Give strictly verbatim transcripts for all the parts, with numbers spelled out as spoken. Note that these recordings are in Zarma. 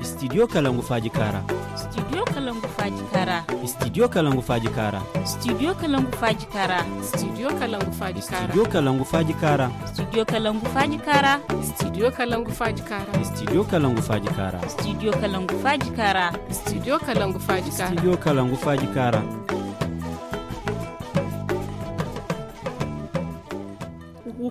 Studio kalangu faaji kaara. Studio kalangu faaji kaara. Studio kalangu faaji kaara. Studio kalangu faaji kaara. Studio kalangu faaji kaara. Studio kalangu faaji kaara. Studio kalangu faaji kaara. Studio kalangu faaji kaara. Studio kalangu faaji kaara. Studio kalangu faaji kaara. Studio kalangu faaji kaara. Studio kalangu faaji kaara.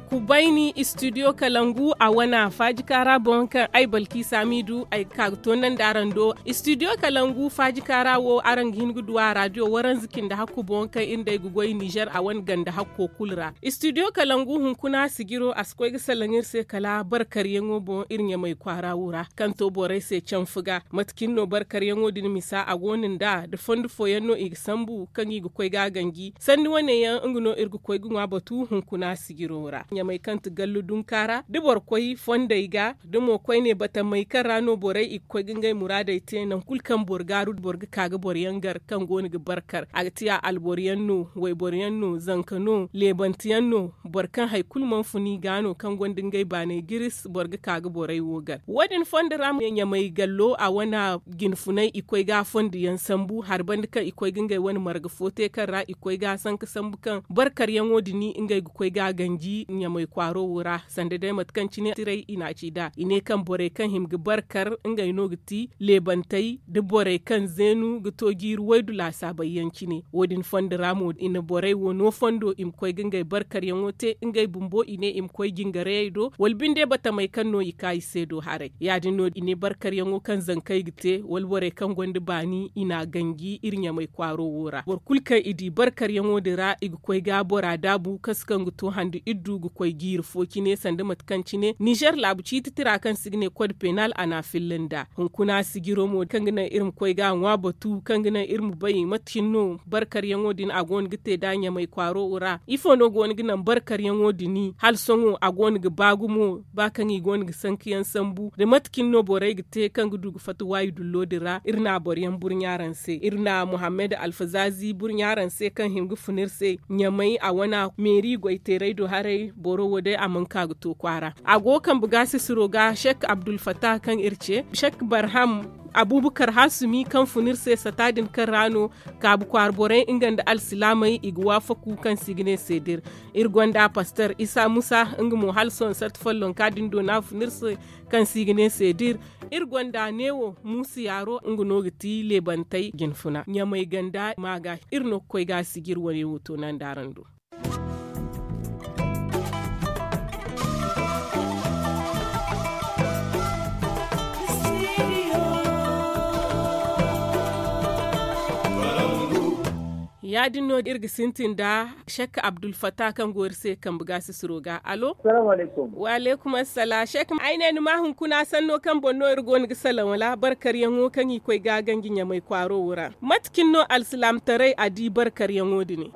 Ku bayni studio kalangu a wana faaji kaara boŋ kaŋ ay balki saamidu ay ga ka ga toonandi araŋ do. Studio kalangu faaji kaara wo araŋ ga hin ga du a radio waranza cindi hakku boŋ kaŋ iri nd'ey ga goy nizer a wane ganda hakko kulu ra. Studio kalangu hunkuna sijiro a si koy ga salaŋ iri se kala barkaryaŋo boŋ iri ɲamay kwaara wo ra kaŋ to borey se canfu ga. Mate cine no barkaryaŋo din misa a go no nd'a da fondo fooyaŋ no i ga sambu kaŋ i ga koy ga a ganji sanni wane yaŋ nga no iri ga koy ga ŋwa batu hunkuna sijiro ra ɲamay kaŋ ti gallu dunka ra da boro koy fondey ga da mo koyne batamey kaŋ ra no borey i ga koy ga ngey muraadey te nangu kulu kaŋ boro gaaru boro ga ka ga boro yaŋ gar kaŋ go no ga barkar a ga tiya alboro yaŋ no wayboro yaŋ no zanka no leebante yaŋ no boro kaŋ hari kulu mana fun i ga no kaŋ gonda ngey baaney giris boro ga ka ga borey wo gar wo- din fondo ra mo ɲamay gallo a wane jinfunay i koy ga a fondo yaŋ sambu hari banda kaŋ i koy ga ngey wane marga fo te kaŋ ra i koy ga a sanka sambu kaŋ barkaryaŋo din ngey ga koy ga a ganji ɲamay kwaaro wo ra sanda day mate kaŋ cine tiray i n'a ci nd'a i ne kaŋ borey kaŋ hima ga barkar ngey no ga ti leebantey da borey kaŋ zeenu ga to jiiri waydu laasaabey yaŋ cine wo- din fondo ra mo i na borey wo no fondo i ma koy ga ngey barkaryaŋo te ngey bumbo i ne i ma koy jingarayey do wala binde batamey kaŋ no i ka i se do haray ya- din no i ne barkaryaŋo kaŋ zankey ga te wala borey kaŋ gonda baani i n'a ganji iri ɲamay kwaaro wo ra boro kulu kaŋ i di barkaryaŋo din ra i ga koy ga bora daabu kaŋ si kaŋ ga to handu iddu ga koy jiiri fo cine sanda mate kaŋ cine nizer laabu ciiti tira kaŋ se i ga ne kod penal a n'a filla nd'a hunkuna sijiro mo kaŋ ga naŋ iri ma koy ga a ŋwa batu kaŋ ga naŋ iri ma bay mate cine no barkaryaŋo din a go no ga te nd'a ɲamay kwaaro wo ra ifo no go no ga naŋ barkaryaŋo din hala sohõ a go no ga ba gumo ba kaŋ i go no ga sanka yaŋ sambu nda mate cine no borey ga te kaŋ ga du ga fatta waayi dullo din ra iri na boro yaŋ burɲa araŋ se iri na muhammad alfazaazi burɲa araŋ se kaŋ hima ga fun iri se ɲamay a wana meeri goy teeray do haray boro wo day a mana ka ga to kwaara a go ga kambe gaasisiro ga shek abdulfatah kaŋ iri ce shek barham abubakar hasumi kaŋ fun iri se sata din kaŋ ra no kaabu kwaara borey nga nda alsilaamey i ga waafaku kaŋ se i ga ne seedir iri gonda pastor isa musa nga mo hala sohõ sata follonka din do no a fun iri se kaŋ se i ga ne seedir iri gonda neewo muusa yaaro nga no ga ti leebantey jinfuna ɲamay ganda ma ga iri no ga koy ga a sijir wane wo toonandi araŋ do ya- din no iri ga sintin nda shek abdulfatah kaŋ go iri se kambe gaasisiro ga alo wa aleykum assala shek ay ne ni ma hunkuna sanno kaŋ boŋ no iri go no ga salaŋ wala barkaryaŋo kaŋ i koy ga a ganji ɲamay kwaaro wo ra mate cine no alsilaamataray a di barkaryaŋo din ne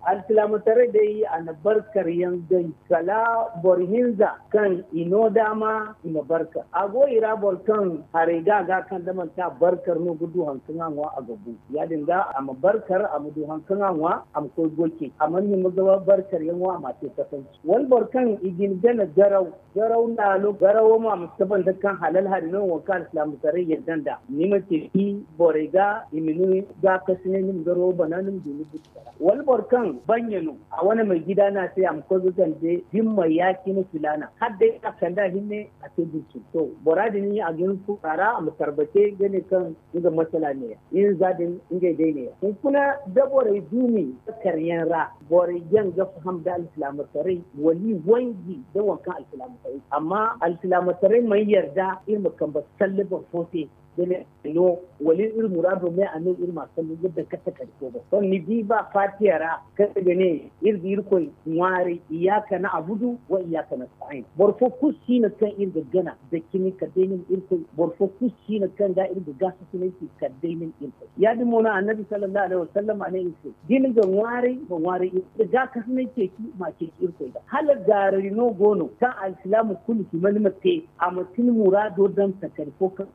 alsilaamataray day a na barkaryaŋ ganji kala boro hinza kaŋ i no daama i ma barkar a go i ra boro kaŋ haray ga a ga kaŋ da manti a barkar no ga du hari kaŋ a ŋwa a ga bu ya- din ga a ma barkar a ma du hari kaŋ a ŋwa a ma koy goy ceeci a mana hima ga barkaryaŋo a m'a te kasanci wala boro kaŋ i ga ni gana garaw garaw laalo garawo mo a ma si tabanda kaŋ halal hari no wo kaŋ alsilaamataray yadda nd'a ni ma ceeci borey ga i ma ni gaakasinay ni ma garawo bana ni ma du ni buti kala wala boro kaŋ banya no a wane may gida no a se a ma koy ga gande dimma ya-cine filaana hala day a kande a hinne a te burcin to bora din a ga hin fo a ra a ma tarbace ga ne kaŋ nga masala neeya hinza din ngey day neeya hunkuna da borey duumi karyaŋ ra borey jaŋ ga faham da alsilaamataray wala i wanji da waŋ kaŋ alsilaamataray amma alsilaamataray mana yarda iri ma kambe salle boro fo se da ne no wala iri muraado me a ne iri ma a sambu ga daŋ kate kadi fo boŋ sohõ ni di ba faatiya ra kaŋ ga ne iri ga irkoy ŋwaaray iyaaka na abudu wa iyaaka na sa'ayin boro fo kulu si no kaŋ iri ga gana da cimi kala day nin irkoy boro fo kulu si no kaŋ ga iri ga gaasa sinay ci kala day nin irkoy ya- din mo no annabi sallallahu alaihi wasallam a ne iri se da ni ga ŋwaaray ma ŋwaaray iri ga gaakasinay ceeci ma ceeci irkoy ga hala gaarari no go no kaŋ alsilaama kulu hima ni ma te a ma ti ni muraado daŋ takari fo kaŋ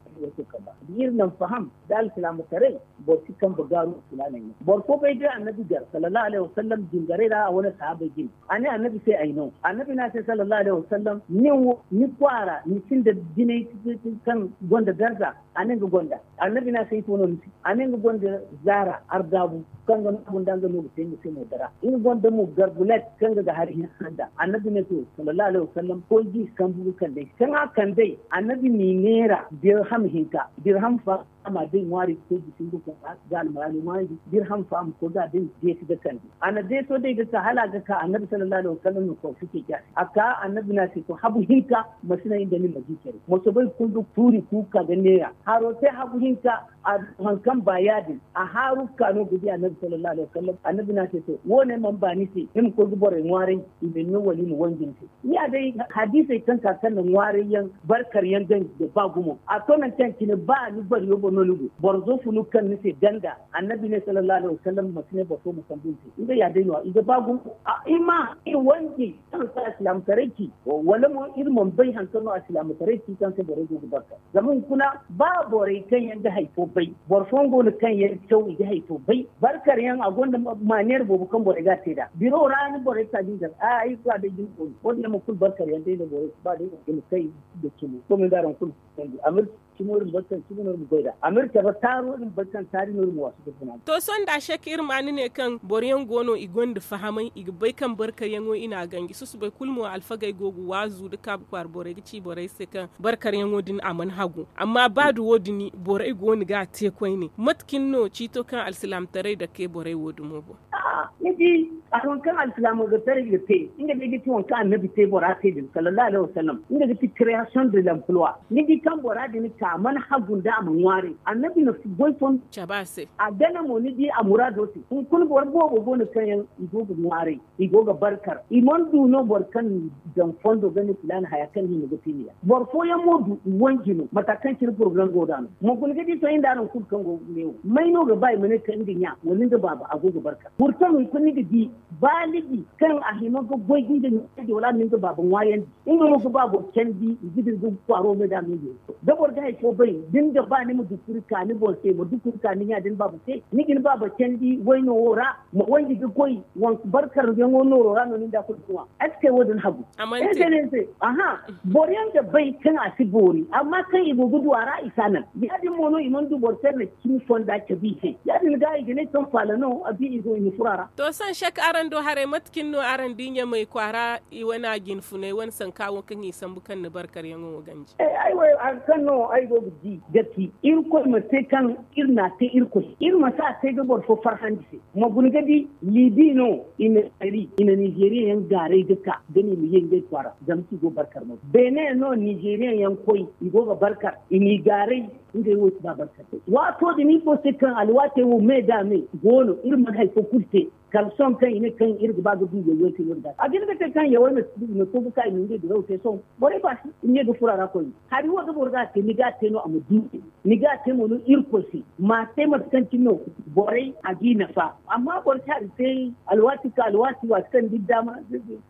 Da iri naŋ faham da alsilaamataray, boro si kambe gaaru filaaney no. Boro fo bay day annabi gar sallallahu alayhi wasallam jingarey ra a wane sahaabey jine. A ne annabi se ay no. Annabi ne a se sallallahu alayhi wasallam, nin wo ni kwaara ni sinda jinay kaŋ gonda darza? A ne nga gonda. Annabi ne a se ifo no ni se? A ne nga gonda zaara ardaabu kaŋ ga naabu nda nga no ga te nga se mo dara. Nga gonda mo garbulet kaŋ ga ga hari hinsa nda. Annabi ne to sallallahu alayhi wasallam koy ga i sambu ga kand'ey. Kaŋ a kand'ey, annabi n'i neera dirham hinka. Dirham fa a ma day ŋwaari ga koy ga singu ga ga almaraani ŋwaari. Dirham fa a ma koy ga day deesi ga kande. A na deeso day ga ka hala a ga ka annabi sallallahu alayhi wasallam na kawsu ceeci a se. A ka annabi na se to habu hinka, masina inda ni ma di care. Moso bay kulu ga tuuri kuuka ga neera haro te habu hinka. A du haŋ kaŋ ba yaadin a haaru ga ka no ga di annabi sallallahu alayhi wasallam. Annabi na se to wo- ne mana ba ni se ni ma koy ga borey ŋwaaray? I ma ni no wala i ma wanji ni se? Ni ya day hadiisey kaŋ ka kaŋ na ŋwaarayyaŋ barkaryaŋ ganji ga ba gumo. A to nangu kaŋ cine ba ni bariyo boŋ no ni go boro zo funu ga kaŋ ni se ganda. Annabi ne sallallahu alayhi wasallam ma si ne boro fo ma sambu ni se. Nga ya day no- ya i ga ba gumo. I ma i wanji kaŋ si alsilaamataray ci wala mo iri mana bay haŋ kaŋ no alsilaamataray ci kaŋ se borey go ga barka. Zama hunkuna ba borey kaŋ yaŋ ga hari fo bay, boro fooyaŋ go no kaŋ yaŋ caw i ga hari fo bay. Barkaryaŋ a gonda maaneer boobo kaŋ borey ga a te nd'a. Biro ra ni borey ga ka ga i gar a ay ga a day jina koy wo- din yaŋ mo kulu barkaryaŋ day no borey ga ba day i ma kay. Ga cimo to me nd'araŋ kulu ga kay ga a ma iri cimo iri ma bay kaŋ cimo no iri ma goy nd'a a ma iri cabe taaro iri ma bay kaŋ taari no iri ma waasu ga funa. To sohõ nda a se kaŋ iri ma ni ne kaŋ boro yaŋ go no i gonda fahamay i ga bay kaŋ barkaryaŋo i n'a ganji susubay kulu mo alfagey go ga waazu nda kaabu kwaara borey ga ci borey se kaŋ barkaryaŋo din a mana hagu. Amma ba da wo- din borey go no ga a te koyne mate cine no ciito kaŋ alsilaamataray dake borey wo- dumo boŋ? Ni di a waŋ kaŋ alsilaamataray ga te nga day ga ti waŋ kaŋ annabi te bora se din sallallahu alayhi wasallam nga ga ti creation de l'emploi. Ni di kaŋ bora din ka a mana hagu nda a ma ŋwaaray annabi na goy fo cabe a se. A gana mo ni di a muraado se hunkuna boro boobo go no kaŋ yaŋ i go ga ŋwaaray i go ga barkar i mana du no boro kaŋ daŋ fondo ga ne filaana haya kaŋ ni hima ga te ni ya. Boro fooyaŋ mo du i wanji no mata kaŋ cine poroblem go nd'a no ma guna ga di sohõ nda araŋ kulu kaŋ go ga ne wo may no ga ba i ma ne kaŋ nga ɲa wala nga baaba a go ga barkar. Boro kaŋ hunkuna ni ga di baaligi kaŋ a hima ga goy ga nga ɲa wala a ma nga baaba ŋwaayandi. Nga no ga ba boro candi i ga dira ga kwaaro me da me. Da boro ga hari fo bay da ni ga ba ni ma dukuri ka ni boŋ se ma dukuri ka ni ɲa da ni baaba se ni ga ni baaba candi wayno wo ra ma wanji ga goy. Barkaryaŋo nooro ra no ni nda kulu ga ŋwa. Est ce que wo- din hagu? Ay ga ne ni se. Aha. Boro yaŋ ga bay kaŋ a si boori amma kaŋ i go ga du a ra i si a naŋ ya- din mo no i mana du boro kaŋ na cimi fonda cabe i se ya- din ga i ga ne kaŋ faala no a bi i go i ma furo a ra. To sohõ sek araŋ do haray mate cine no araŋ di ɲamay kwaara i wane a jinfunay wane sanka wo kaŋ i sambu kaŋ ni barkaryaŋo wo ganji? Ay wo hari kaŋ no ay go ga di ga ti irkoy ma te kaŋ iri n'a te irkoy se iri ma si a te ga boro fo farhandi se. Ma guna ga di libi no i na kari i na nizeriya yaŋ gaaray ga ka ga no i ma ye ngey kwaara zama kaŋ i go barkar no beene no nizeriya yaŋ koy i go ga barkar i n'i gaaray. Ngey wo si ba barkar. Waato din ifo se kaŋ alwaatey wo me da me go no iri mana hari fo kulu te. Kala sohõ kaŋ i ne kaŋ iri ga ba ga du yawey te no- din ga a ga hin ga te kaŋ yawey ma si du i ma to ga ka i ma ngey diraw te sohõ borey ba si i ma ye ga furo a ra koyne. Hari wo da boro ga a te ni ga a te no a ma du. Ni ga a te mo no irkoy se ma a te mate kaŋ cine no borey a g'i nafa. Amma boro si hari te alwaati ka alwaati waati kaŋ ni di daama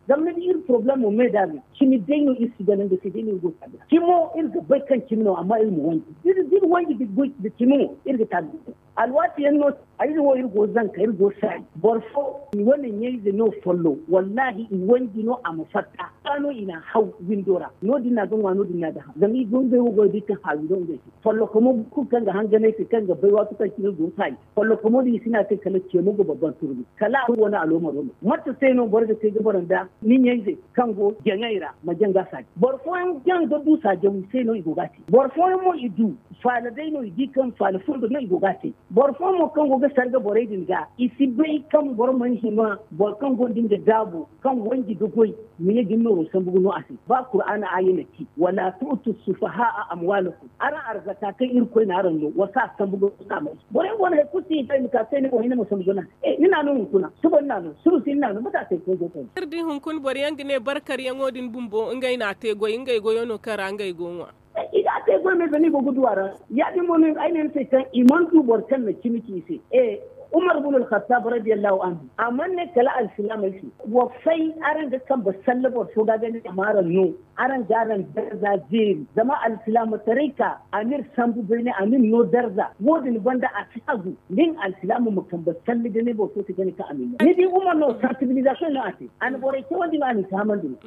zama ni di iri poroblemo me da me cimi day no iri si gana nga se day no iri go ga taabi ra cimo iri ga bay kaŋ cimi no amma iri ma wanji da iri wanji da cimi mo iri ga taabi. Alwaati yaŋ no ay wo iri go zanka iri go saayi boro fo i wane ɲayze no follow wallahi i wanji no a ma fatta. Ga no i n'a haw windo ra no- din no a ga ŋwa no- din no a ga haw zama i go ngey wo go ga di kaŋ haawi no ngey se follokomo kulu kaŋ ga hanganay se kaŋ ga bay waati kaŋ cine go saayi. Follokomo din i si n'a te kala ceemo ga babban turmi kala a wane aloomaro no mate se no boro ga te ga boro nda ni ɲayze kaŋ go jaŋay ra ma jaŋ ga saaji boro fooyaŋ jaŋ ga du saajaw i se no i go ga a te boro fooyaŋ mo i du faala day no i di kaŋ faala fundo no i go ga a te. Boro fooyaŋ mo kaŋ go ga sarga borey din ga i si bay kaŋ boro mana hima boro kaŋ gonda nga daabo kaŋ wanji ga goy ma ye ga ni nooro sambu ga no a se ba kuraana aaya na ci wala tu'tu sufahaa amwaalakum. Araŋ arzaka kaŋ irkoy na araŋ no wa si a sambu ga no a se. Borey go no hari kulu si i bay ma ka se ni boŋ hinne ma sambu ga no a se. Ni n'a no hunkuna suba ni n'a no suba si ni n'a no mate a se koy go kayna. Iri di hunkuna boro yaŋ ga ne barkaryaŋo din bumbo ngey n'a te goy ngey goyo no kaŋ ra ngey go ŋwa. I ga a te goy me zama i go ga du a ra. Ya- din mo no ay ne ni se kaŋ i mana du boro kaŋ na cimi ci i se. E Umar bin alkhattab radiyallahu anhu a mana ne kala alsilaamey se, wa fay araŋ ga kambe salle boro fo ga ga ne a ma araŋ no. Araŋ ga araŋ darza zeeri zama alsilaamataray ka a n'iri sambu bayne a n'iri no darza. Wo- din banda a si hagu, da ni alsilaama ma kambe salle ga ne boro fo se ga ne kaŋ a ma ni no ni di umar no sansibilizasiyoŋ no a te. A na borey cawandi no a na i fahamandi no.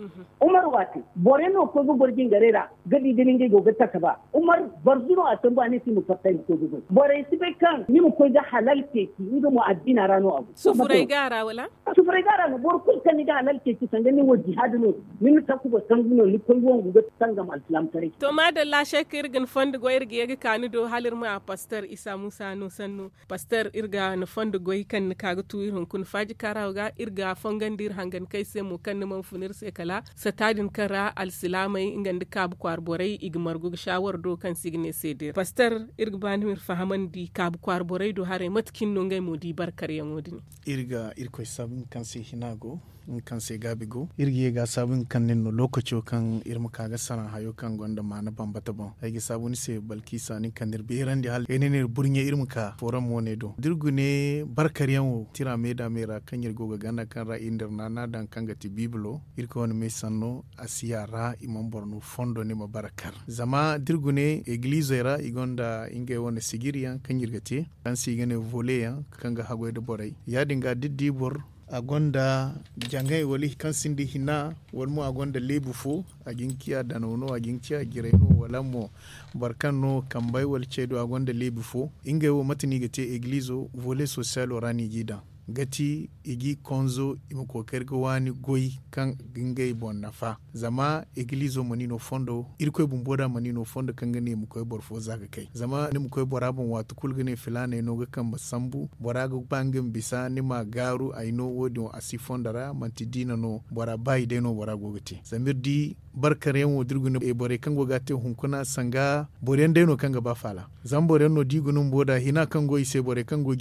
Umar wo a te. Borey no ga koy ga goro jingarey ra ga di da ni ngey go ga tasa ba. Umar barzu no a sambu a ne se i ma fatta i ma koy ga goy. Borey si bay kaŋ ni ma koy ga halal ceeci nga mo addiina ra no a go. Sufuray ga a ra wala? Sufuray ga a ra no boro kulu kaŋ ni ga halal ceeci sanda ni wo jihaadi no, ni na takuba sambu no ni koy wangu ga tangam alsilaamataray. To maadalla seeka iri ga ni fondo goy iri ga ye ga ka ni do hala iri ma a pastor isa muusa no sannu. Pastor iri ga ni fondo goy kaŋ ni ka ga tu iri hunkuna faaji kaara wo ga iri ga fongandi iri hangankey se mo kaŋ ni mana fun iri se kala sata din kaŋ ra alsilaamey nga nda kaabu kwaara borey i ga margu ga saawara do kaŋ se i ga ne seedira pastor. Iri ga ba ni ma iri fahamandi kaabu kwaara borey do haray mate cine no ngey mo di barkaryaŋo din? Iri ga irkoy saabu nga kaŋ se hina go, nga kaŋ se gaabi go iri ga ye ga a saabu nga kaŋ nin no lookaco kaŋ iri ma ka ga saraŋ hayo kaŋ gonda maana bambata boŋ. Ay ga saabu ni se balkisa nin kaŋ ni iri beerandi hala ay ne no iri burɲe iri ma ka fooram wane do da iri gune barkaryaŋo tira me da me ra kaŋ iri go ga ganda kaŋ ra iri na iri naana daŋ kaŋ ga ti biibilo. Iri koy wane me sanno a si ya ra i mana boro no fondo ni ma bara kar zama da iri gune egilizey ra i gonda ngey wane sijiriyaŋ kaŋ iri ga te kaŋ se i ga ne vole yaŋ kaŋ ga haggoy nda borey ya- din ga da iri di boro a gonda jaŋay wala kaŋ sinda hina wala mo a gonda leebu fo a ga hin ga ciya danaw no a ga hin ga ciya jiray no wala mo boro kaŋ no kambey wala cey do a gonda leebu fo. Ngey wo mate no i ga te egilizo vole sosiyalo ra no i g'i daŋ ga ti i g'i konzo i ma kookari ga waani goy kaŋ ga ngey boŋ nafa. Zama egilizo mana i no fondo irkoy bumbo da mana i no fondo kaŋ ga ne i ma koy boro fo za ga kay zama ni ma koy bora boŋ waati kulu ga ne filaaney no ga kambe sambu bora ga ba nga ma bisa ni ma a gaaru ay no wo- din wo a si fondo ra manti diina no bora ba i day no bora go ga te zama iri di barkaryaŋ wo da iri guna borey kaŋ go ga a te hunkuna sanga boro yaŋ day no kaŋ ga ba faala. Zama boro yaŋ no da i guna bumbo da hina kaŋ go i se borey kaŋ go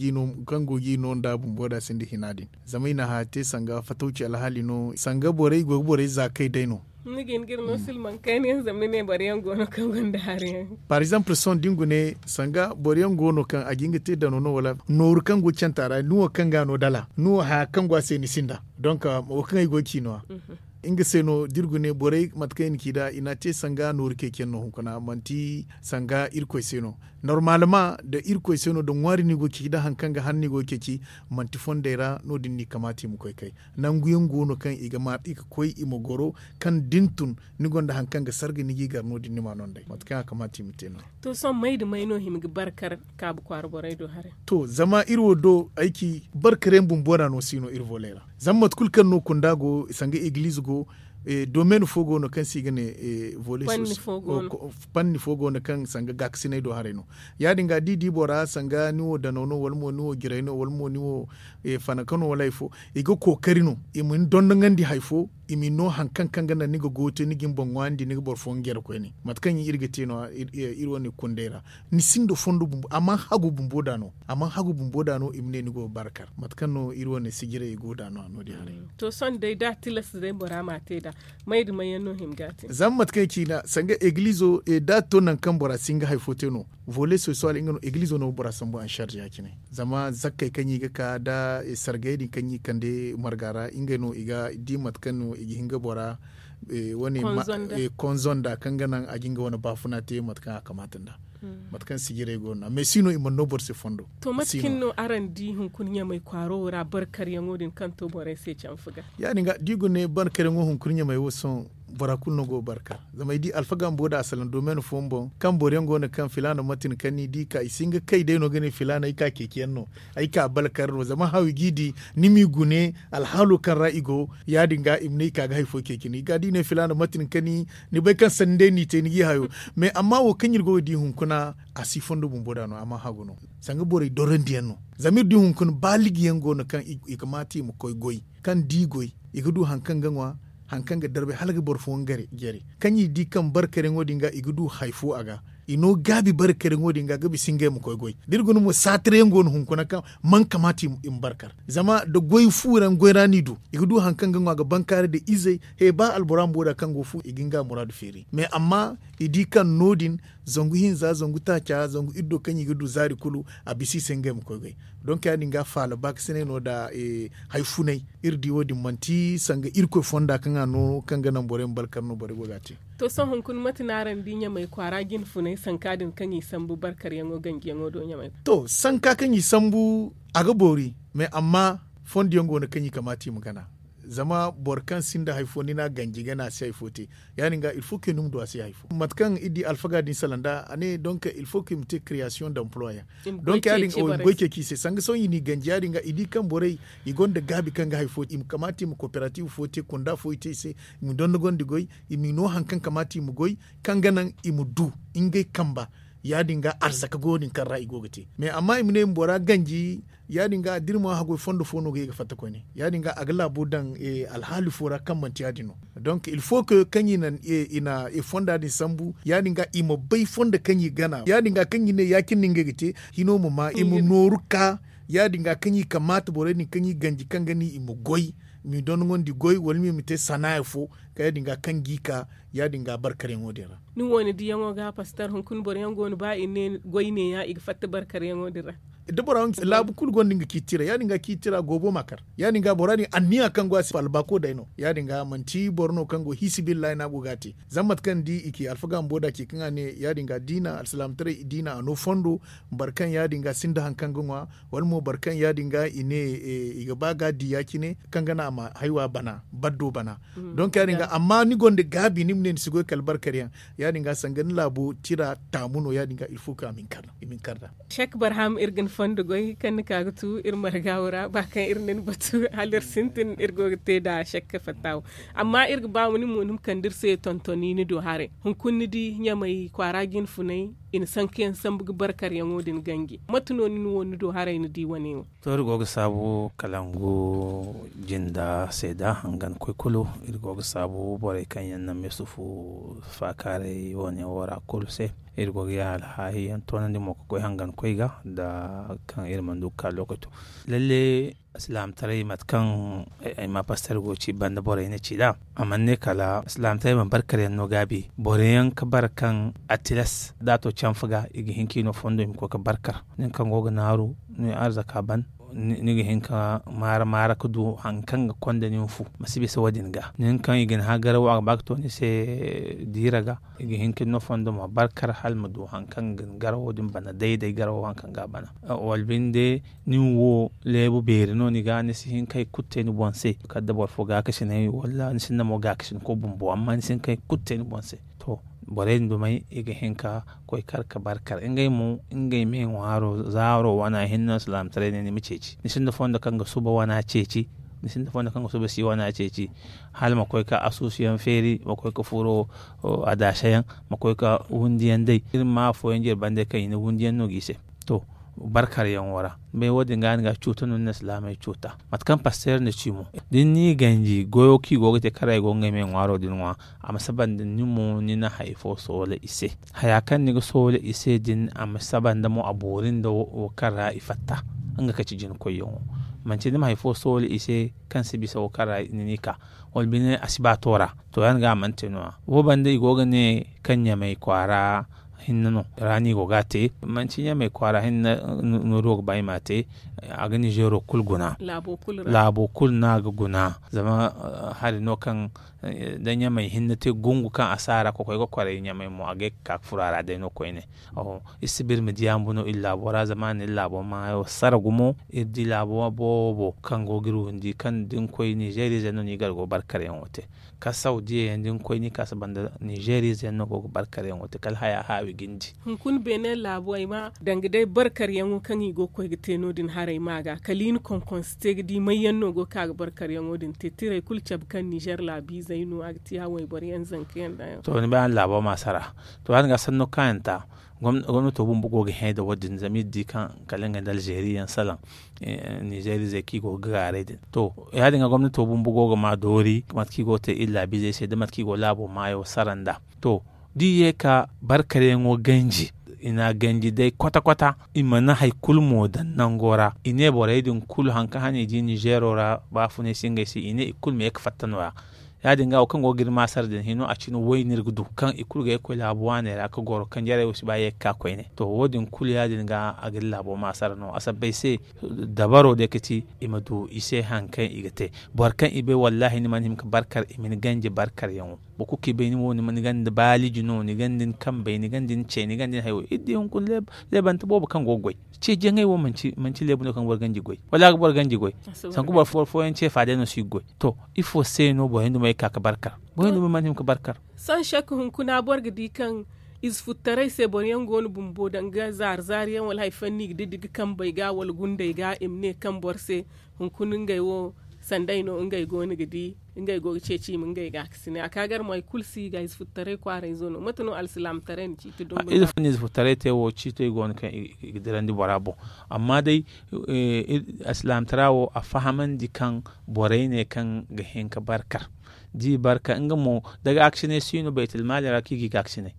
g'i no nda bumbo da sinda hina din zama i na haya te sanga fatawci alhaali no sanga borey go ga borey za kay day no. Ni ga hin ga iri no silmaŋ kayna yaŋ zama ni ne boro yaŋ go no kaŋ gonda hari yaŋ. Par exemple sohõ da ni gune sanga boro yaŋ go no kaŋ a ga hin ga te dano no wala nooru kaŋ go canta ra ni wo kaŋ ga no dala ni wo haya kaŋ go a se ni sinda. Donk wo kaŋ ay go ga ci no- ya nga se no da iri gune borey mate kaŋ i na ci nd'a i n'a te sanga nooru ceeciyaŋ no hunkuna manti sanga irkoy se no. Normalement da irkoy se no da ŋwaari no i go ga ceeci da hari kaŋ ga han no i go ga ceeci manti fondey ra no- din no i kamaata i ma koy kay. Nangu yaŋ go no kaŋ i ga ma i ga koy i ma goro kaŋ da ni tun ni gonda hari kaŋ ga sarga ni g'i gar no- din ni m'a no nd'ey mate kaŋ a kamaata i ma te no- ya. To sohõ may nda may no hima ga barkar kaabu kwaara borey do haray? To zama iri wo do ay ci barkar yaŋ bumbo ra no si no iri voley ra. Zama mate kulu kaŋ no kunda go sanga egiliize go domen fo go no kaŋ se i ga ne vole sosiyal. Panni fo go no kaŋ sanga gaakasinay do haray no. Ya- din ga da i di bora sanga ni wo danaw no wala mo ni wo jiray no wala mo ni wo fanaka no wala hari fo, i ga kookari no i ma ni dondonandi hari fo, i ma ni no hari kaŋ kaŋ ga naŋ ni ga goyo te ni ga ni boŋ ŋwaayandi ni ga boro fooyaŋ jare koyne. Mate kaŋ iri ga te no- ya iri wane kundey ra. Ni sinda fondo bumbo a mana hagu bumbo da no a mana hagu bumbo da no i ma ne ni go ga bara kar mate kaŋ no iri wane sijirey i go da no- ya no- din haray. To sohõ day da a tilas day bora m'a te nd'a may nda may yaŋ no hima ga a te? Zama mate kaŋ i ci nd'a sanga egiliizo da a to nangu kaŋ bora si hin ga hari fo te no, vole sosiyal nga no egiliizo no ga bora sambu ansarz ya- cine. Zama zakkey kaŋ i ga ka nda sargayey din kaŋ i kande marga ra ngey no i ga di mate kaŋ no i ga hin ga bora wane konzo nda kaŋ ga naŋ a ga nga wane baafuna te mate kaŋ a kamaata nd'a. Mate kaŋ sijirey go no nd'a mais si no i mana no boro se fondo. To mate kaŋ no araŋ di hunkuna ɲamay kwaaro wo ra barkaryaŋo din kaŋ to borey se canfa ga? Ya- din ga da i guna ne barkaryaŋo hunkuna ɲamay wo sohõ bora kulu no go ga barkar. Zama ay di alfaga bumbo da a salaŋ domen fooyaŋ boŋ kaŋ boro yaŋ go no kaŋ filaana mate ni kaŋ ni di ka i si hin ga kay day no ga ne filaana ay ka ceeciyaŋ no, ay ka barkar no zama haw i g'i di ni m'i gune alhaalo kaŋ ra i go. Ya- din ga i ma ne i ka ga hari fo ceeci ni ga da i ne filaana mate ni kaŋ ni bay kaŋ sanni day n'i te ni g'i hayo. Mais amma wo kaŋ iri go ga di hunkuna a si fondo bumbo da no a mana hagu no. Sanga borey dorandiyaŋ no. Zama iri di hunkuna baaligiyaŋ go no kaŋ i ga maati i ma koy goy kaŋ da i goy i ga du hari kaŋ ga ŋwa, hari kaŋ ga darbe hala ga boro fooyaŋ jare. Kaŋ i di kaŋ barkaryaŋo din ga i ga du hari fo a ga. I no gaabi barkaryaŋo din ga ga bisa ngey ma koy goy da iri guna mo saatiryaŋ go no hunkuna kaŋ mana kamaata i ma barkar. Zama nda goy fu ra ni goy ra no i du i ga du hari kaŋ ga ŋwa ga bankaaray nda izey. He ba albora bumbo da kaŋ go fu i ga nga muraadu feeri mais amma i di kaŋ no- din Zangu hinza zangu taaca zangu iddo kaŋ i ga du zaari kulu, a bisa i se ngey ma koy goy. Donk ya- din ga faala baakasinay no nda hari funay. Iri di wo- din manti sanga irkoy fonda kaŋ a no kaŋ ga naŋ borey ma barkar no borey go ga a te. To sohõ hunkuna mate no araŋ di ɲamay kwaara jine funay sanka din kaŋ i sambu barkaryaŋo ganjiyaŋo do ɲamay? To sanka kaŋ i sambu, a ga boori. Mais amma fondo yaŋ go no kaŋ i kamaata i ma gana. Zama boro kaŋ sinda hari fo ni n'a ganji gana a si hari fo te. Ya- din ga ilfo ke ni ma du a si hari fo mate kaŋ iri di alfaga din sala nda a ne donk ilfo ke i ma te kireyasiyoŋ d'emploi yaŋ. Donk ya- din ga i ma goy ceeci i se sanga sohõ i n'i ganji ya- din ga i di kaŋ borey i gonda gaabi kaŋ ga hari fo i ma kamaata i ma koperatiiv fo te kunda fo i te i se, i ma dondogondi goy, i m'i no hari kaŋ kamaata i ma goy, kaŋ ga naŋ i ma du ngey kamba. Ya- din ga arzaka go din kaŋ ra i go ga te mais amma i ma ne i ma bora ganji. Ya- din ga da iri ma haggoy fondo fo no ga ye ga fatta koyne ya- din ga a ga laabo daŋ alhaali fo ra kaŋ manti ya- din no. Donk ilfo ke kaŋ i na fonda din sambu ya- din ga i ma bay fondo kaŋ i gana ya- din ga kaŋ i ne ya- cine no ngey ga te hino ma ma i ma nooru ka. Ya- din ga kaŋ i kamaata borey din kaŋ i ganji kaŋ ga ni i ma goy, m'i dondogondi goy wala mo i ma te sanaaya fo. Kaŋ ya- din ga kaŋ g'i ka ya- din ga barkaryaŋo din ra. Ni wo ni diyaŋo ga pastor hunkuna boro yaŋ go no ba i ne goy ne- ya i ga fatta barkaryaŋo din ra. Da bora laabu kulu gonda nga ciiti ra ya- din ga ciiti ra goobo ma kar. Ya- din ga bora din anniya kaŋ go a se albaako day no ya- din ga manti boro no kaŋ go hiisibillahi no a go ga a te. Zama mate kaŋ ni di i ci alfaga bumbo da ce kaŋ a ne ya- din ga diina alsilaamataray diina a no fondo. Boro kaŋ ya- din ga sinda hari kaŋ ga ŋwa wala mo boro kaŋ ya- din ga i ne i ga ba ga a di ya- cine kaŋ ga naŋ a ma haywa bana baddo bana. Donk ya- din ga amma ni gonda gaabi ni ma ne ni si goy kala barkaryaŋ. Ya- din ga sanga ni laabo tira taamu no ya- din ga ilfo kaŋ a ma hin kar nd'a. Sek barham iri ga ni fondo goy kaŋ ni ka ga tu iri marga wo ra ba kaŋ iri na ni batu hala iri sintin iri go ga te nd'a sek fatta wo. Amma iri ga ba ma ni mo ni ma kande iri se tontoni ni do haray hunkuna ni di ɲamay kwaara jine funay i na sankayaŋ sambu ga barkaryaŋo din ganji mate no ni wo ni do haray ni di wane wo? To iri go ga saabu kalangu jinda se da hangan koy kulu iri go ga saabu borey kaŋ yaŋ na meesufu faakaaray wane wo ra kulu se. Iri go ga ya alhaahi yaŋ toonandi mo ga koy hangan koy ga nda kaŋ iri mana du ga ka lokaco. Lalle alsilaamataray mate kaŋ ay ma pastor go ga ci banda borey na ci nd'a a mana ne kala alsilaamataray mana barkar yaŋ no gaabi boro yaŋ ga bara kaŋ a tilas da a to canfa ga i ga hin ka i no fondo i ma koy ga barkar nin kaŋ go ga naaru ni arzaka ban. Ni ga hin ka maara maara ga du hari kaŋ ga konda nin fu ma si bisa wo- din ga nin kaŋ i ga ni hã garawo a ga ba ga to ni se diira ga i ga hin ka ni no fondo ma barkar hala ma du hari kaŋ ga ni garawo din bana day day garawo hari kaŋ ga a bana. Wala binde nin wo leebu beeri no ni ga ni si hin ka hari kulu te ni boŋ se kala da boro fo gaakasinay wala ni sinda mo gaakasinko bumbo amma ni si hin ka hari kulu te ni boŋ se. To borey din dumey i ga hin ka koy kar ga barkar ngey mo ngey me ŋwaaro zaaro wana hinne no silaamataray ne ni ma ceeci ni sinda fondo kaŋ ga suba wana ceeci. Ni sinda fondo kaŋ ga suba si wana ceeci hala ma koy ka asuusu yaŋ feeri ma koy ga furo adaasa yaŋ ma koy ga windi yaŋ day iri ma afooyaŋ jere banda kaŋ i na windi yaŋ no ga i se. To barkar yaŋo ra bay wo- din ga ni ga cuuta no ni na silaamey cuuta mate kaŋ pasteer na ci mo da ni n'i ganji goyo kaŋ i go ga te karay go ngey me ŋwaaro din ŋwa. A ma saba nda ni mo ni na hari fo soola i se. Haya kaŋ ni ga soola i se din a ma saba nda mo a boori nda wo kaŋ ra i fatta nga ka ci jina koyyaŋo. Manti ni ma hari fo soola i se kaŋ si bisa wo kaŋ ra ni n'i ka wala bine a si ba to ra. To ya- din ga a mana te no- ya wo banda i go ga ne kaŋ ɲamay kwaara hinne no ra no i go ga a te manti ɲamay kwaara hinne. Nooru wo ga ba i m'a te a ga nizeero kulu guna. Laabo kulu no a ga guna zama hari no kaŋ da ɲamay hinne te gungu kaŋ a si a ra ga koy ga kwaray ɲamay mo a ga ye ga ka ga furo a ra day no koyne. Iri si ba iri ma di a ma bu no iri laabo ra zama a na iri laabo maayo sara gumo iri di laabo boobo kaŋ go ga iri windi kaŋ da ni koy nizeeriize no no i ga iri go barkaryaŋo te. Kala sawdiya yaŋ da ni koy ni ka saba nda nizeeriize yaŋ no go ga barkaryaŋo te kala haya haawi ga ni di. Hunkuna beene laabo ay ma danga day barkaryaŋo kaŋ i go ga koy ga te no- din haray ma ga kala i na konkonse te ga di may yaŋ no go ga ka ga barkaryaŋo din te tiray kulu cabe kaŋ nizeer laabiizey no a ga te ya wayboro yaŋ zanka yaŋ da yaŋ. To ni bay araŋ laabo ma sara. To ya- din ga sanno kaayanta gomnato bumbo go ga hẽ nda wo- din zama iri di kaŋ kala ngey nda alzeeri yaŋ salaŋ. Nizeeriizey kaŋ i go ga gaaray din to ya- din ga gomnato bumbo go ga ma doori mate kaŋ i go ga te iri laabiizey se nda mate kaŋ i go laabo maayo sara nda. To da i ye ka barkaryaŋo ganji i n'a ganji day kwata kwata i mana hari kulu mo daŋ nango ra i ne borey din kulu hari kaŋ hane i di nizeero ra baafunay si ngey se i ne i kulu ma ye ga fatta no- ya. Ya- din ga wo kaŋ go ga iri maasar din hino a cine way no iri ga du kaŋ i kulu ga ye ga koy laabu waaney ra ga goro kaŋ jarey wo si ba ye ga ka koyne. To wo- din kulu ya- din ga a ga iri laabo maasar no a sabbay se. Dabaro day ga ti i ma du i se hari kaŋ i ga te. Boro kaŋ i bay wallaahi ni mana hima ga barkar i ma ni ganji barkaryaŋo. Boro kulu kaŋ i bay ni wo ni ganda baaliji no ni ganda ni kambey ni ganda ni cey ni ganda ni hayo iri di hunkuna leebante boobo kaŋ go ga goy. Ce jaŋay wo manti leebu no kaŋ ga boro ganji goy wala a ga boro ganji goy. Sanku boro fooyaŋ ce fa day no si ga goy. To ifo se no boro yaŋ dumo ga ka ga barkar? Boro yaŋ dumo mana hima ga barkar. Sohõ shek hunkuna boro ga di kaŋ ize futtaray se boro yaŋ go no bumbo danga zaari zaari yaŋ wala hari fooyaŋ no i ga diddi ga kambey ga wala gundey ga i ma ne kaŋ boro se hunkuna ngey wo sanday no ngey go no ga di ngey go ga ceeci i ma ngey gaakasinay a ka gar mo hari kulu si ga ize futtaray kwaarayzo no mate no alsilaamataray na ciiti dumbu nda? Ize futtaray te wo ciitey go no kaŋ i ga dirandi bora boŋ. Amma day alsilaamataray wo a fahamandi kaŋ borey ne kaŋ ga hin ga barkar da i barkar nga mo da gaakasinay si no baytalmaali ra kaŋ i ga i gaakasinay.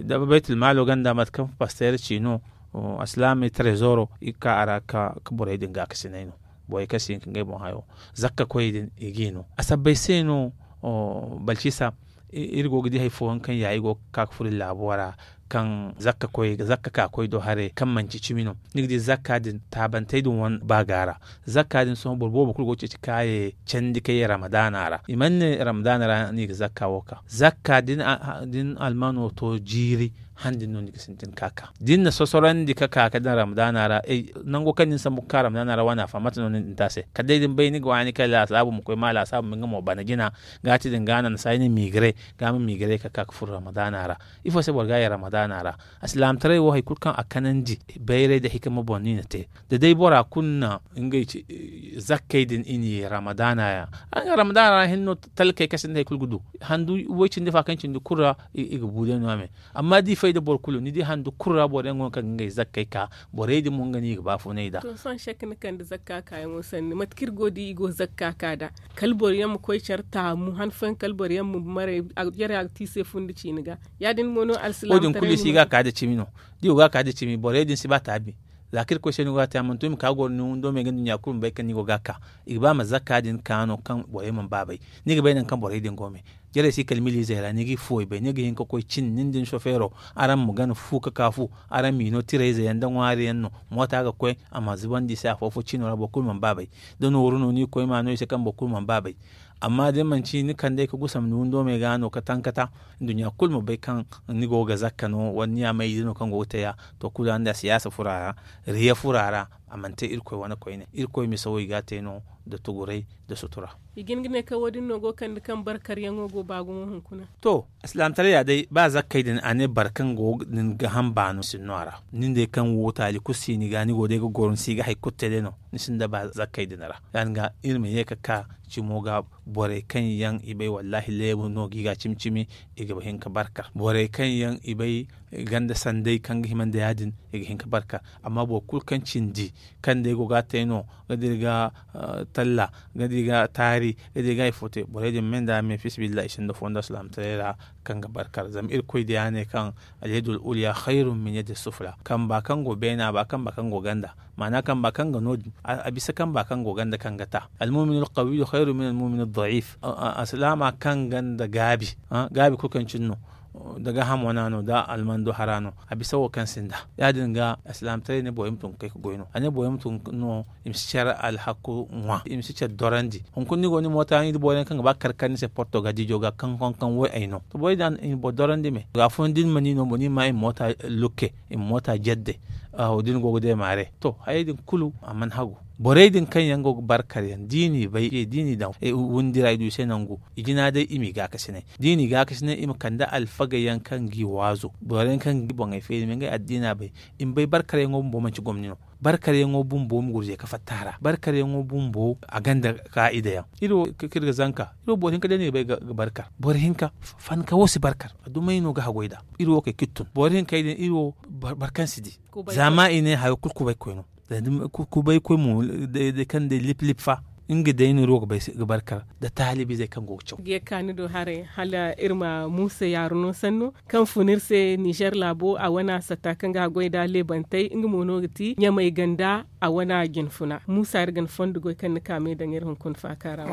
Da baytalmaalo ganda mate kaŋ pasteer ci no alsilaamey trezoro i ga ka a ra ga ka borey din gaakasinay no. Borey kaŋ si hin ka ngey boŋ hayo zakka koyey din i g'i no a sabbay se no. Balcisa iri go ga di hari fooyaŋ kaŋ ya i go ga ka ga furo iri laabo ra kaŋ zakka koy zakka ka koy do haray kaŋ manci cimi no. Ni ga di zakka din taabantey din wane ba ga a ra. Zakka din sohõ boro boobo kulu go ga ceeci kaaye candi ka ye ramadaana ra i mana ne ramadaana ra no i ga zakka wo ka zakka din almano to jiiri han din no ni ga sintin ka ka da ni na sosorandi ka ka ka daŋ ramadaana ra. Nango kaŋ ni na sambu ga ka ramadaana ra wane a fa mate no ni na din te a se kala day da ni bay ni ga waani kay laasaabu ma koy ma laasaabu ma nga mo bana jina. Ga ti din ga a naŋ ni saay ni miigire ga ma miigire ka ka ga furo ramadaana ra. Ifo se boro ga ye ramadaana ra? Alsilaamataray wo hari kulu kaŋ a kanandi bayray nda hikima boŋ no i na te. Da day bora kulu na ngey zakkey din i na ye ramadaana ra. Araŋ ga ramadaana ra hinne no talkey kasinda hari kulu ga du handu way cindi fa kaŋ cindi kulu ra i ga bu day no- ya me. Amma da i fay nda boro kulu ni di handu kulu ra boro yaŋ go no kaŋ ga ngey zakkey ka borey din mo nga no i ga baafunay nd'a. To sohõ shek ni kande zakka kaayaŋo sanni mate kaŋ iri go ga di i go zakka ka nd'a kala boro yaŋ ma koy care taamu han fooyaŋ kala boro yaŋ ma maray jarey a ga te i se fundi ciini ga. Ya- din mo no alsilaamataray wo- din kulu i si ga a ka nda cimi no. Da i go ga a ka nda cimi borey din si ba taabi. Za kaŋ irkoy se ni go ga a te a mana tun i ma ka goro ni windo me ga nduɲɲa kulu ma bay kaŋ ni go ga a ka. I ga ba ma zakka din ka no kaŋ borey mana ba bay. Ni ga bay nangu kaŋ borey din go me jarey si kala miliizey ra ni g'i fuwey bay ni ga hin ka koy cin nin da ni sofeero. Araŋ ma gana fu ka ka fu. Araŋ m'i no tirayze yaŋ nda ŋwaari yaŋ no. Moota ga koy a ma zubandi i se afo-fo cino ra boro kulu mana ba bay. Da nooru no ni ga koy ma no i se kaŋ boro kulu mana ba bay. Amma da ni manci ni kand'ey ga gusam ni windo me ga no ka tankata. Nduɲɲa kulu ma bay kaŋ ni go ga zakka no wala ni ya mayze no kaŋ go ga te ya. To kulu araŋ da siyaasa furo a ra, riya furo a ra. A mana te irkoy wane koyne irkoy mise wo i ga a te no nda tuguray nda sutura. I ga hin ga ne kaŋ wo- din no go ga kande kaŋ barkaryaŋo go ba gumo hunkuna. To alsilaamataray ya day ba zakkey din a ne boro kaŋ go ga din gaham baano sinno a ra. Nin day kaŋ wo taali kulu si ni ga ni go day ga goro ni si ga hari kulu te day no. Ni sinda ba zakkey din ra ya- din ga iri ma ye ga ka cimo ga. Borey kaŋ yaŋ i bay wallaahi leebu no ga i ga cimi-cimi i ga hin ga barkar borey kaŋ yaŋ i bay ganda sanday kaŋ ga hima nda ya- din i ga hin ga barkar. Amma boro kulu kaŋ cindi kaŋ day go ga a te no ga da iri ga talla ga da iri ga taari ga da iri ga hari fo te borey din ma ne nda me fiisabilillahi i sinda fo nda alsilaamataray ra. Kaŋ ga barkar zama irkoy diya ne kaŋ alyadul ulya khayrun min yaddi sufla kamba kaŋ go beena ba kamba kaŋ go ganda. Maana kamba kaŋ ga no- din a bisa kamba kaŋ go ganda kaŋ ga ta. Almuminul qawiyyu khayrun min almuminul da'if. Alsilaama kaŋ ganda gaabi gaabi kulu kaŋ cine no. Da gaahamo no a no da almando hara no a bisa wo kaŋ sinda. Ya- din ga alsilaamataray ne borey ma tun ga kay ga goy no a ne borey ma tun no. I ma si care alhaku ŋwa i ma si care dorandi hunkuna ni go ni moota ni da boro yaŋ kaŋ ga ba ga kar kar ni se porto ga dijo ga kaŋ kaŋ kaŋ way ay no to borey din i ma boro dorandi me ga fooyaŋ da ni ma ni no mo ni ma i ma moota lukke i ma moota jadde. Aho da ni go ga deemaare to hayey din kulu a mana hagu. Borey din kaŋ yaŋ go ga barkar yaŋ da i n'i bay da i n'i daŋ windi ra i du i se nangu. I jina day i m'i gaakasinay da i n'i gaakasinay i ma kande alfagey yaŋ kaŋ g'i waazu boro yaŋ kaŋ ga boŋey feeri ma ngey addiina bay. I ma bay barkaryaŋo bumbo manci gomni no. Barkaryaŋo bumbo ma gurje ka fatta a ra barkaryaŋo bumbo a gonda kaa'ida yaŋ. Iri wo kaŋ iri ga zanka iri wo boro hinka day no i bay ga barkar boro hinka. Fanka wo si barkar a dumey no ga haggoy nd'a. Iri wo kay kaŋ iri tun boro hinkey din iri wo boro kaŋ si di. Zama i ne hayo kulu kubaykoy no. Kubaykoy mo day kaŋ day lip lip fa. nga day no iri wo ga bay ga barkar da taalibizey kaŋ go ga caw. Ga ye kaani do haray hala iri ma muusa yaaru no sanno kaŋ fun iri se nizer laabo a wane a satta kaŋ ga a goy nd'a leebantey nga mo no ga ti ɲamay ganda a wane a jinfuna muusa iri ga ni fondo goy kaŋ ni ka me daŋ iri hunkuna faaka ra.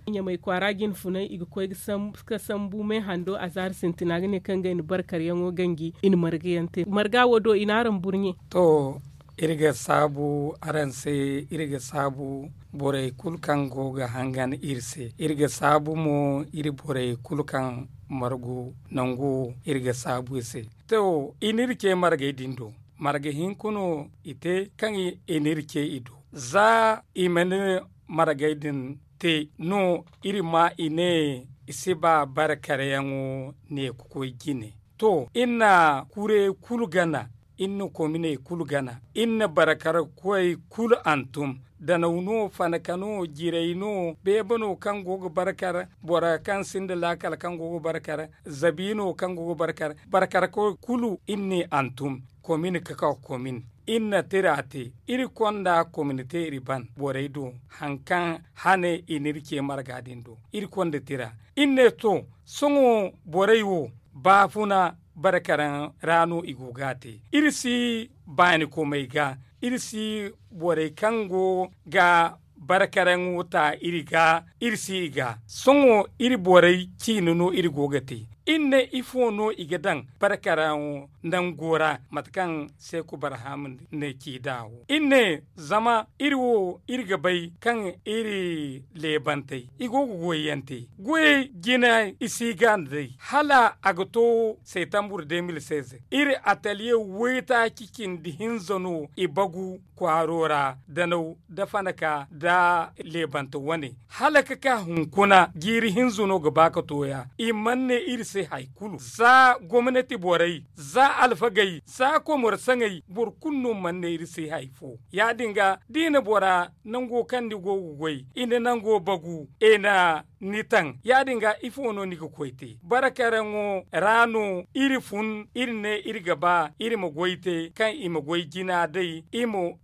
Ɲamay kwaara jinfunay i ga koy ga sambu meehando a zaari sintina ga ne kaŋ ga ay na barkaryaŋo ganji i na marga yaŋ te marga wo do i na araŋ burɲe. To iri ga saabu araŋ se iri ga saabu borey kulu kaŋ go ga hangan iri se iri ga saabu mo iri borey kulu kaŋ margu nangu iri ga saabu i se. To i n'iri ce margey din do marga hinka no i te kaŋ i n'iri ce i do za i mana margey din te no iri ma i ne i si ba barkaryaŋo ne ga koy jine. To iri na kurey kulu gana iri na kominey kulu gana iri na barkarkoy kulu hantum danaw no fanaka no jiray no beebe no kaŋ go ga barkar bora kaŋ sinda laakal kaŋ go ga barkar zabi no kaŋ go ga barkar barkarkoy kulu iri n'i hantum komin ga ka komin iri na tira te iri konda komin te iri ban borey do hari kaŋ hane i n'iri ce marga din do iri konda tira iri ne to sohõ borey wo baafuna barkaraŋ ra no i go ga a te iri si baanikomey ga iri si borey kaŋ go ga barkaraŋo ta iri ga iri si i ga sohõ iri borey ciine no iri go ga te iri ne ifo no i ga daŋ barkaraŋo nango ra mate kaŋ seeku barham ne ci nd'a wo iri ne zama iri wo iri ga bay kaŋ iri leebantey i go ga goyyaŋ te goyey jina i si ga nd'ey hala a ga to seetambur de mil seize iri ataliye waytaaci cindi hinza no i bagu kwaaro ra danaw nda fanaka nda leebante wane hala ga ka hunkuna jiiri hinza no ga ba ga tooya i mana ne iri se hari kulu za gomnati borey za alfagey za komor saŋey boro kulu no mana ne iri se hari fo ya- din ga da i na bora nango kaŋ ni go ga goy i na nango bagu i na ni taŋ ya- din ga ifo no ni ga koy te barkaraŋo ra no iri fun iri ne iri ga ba iri ma goy te kaŋ i ma goy jina day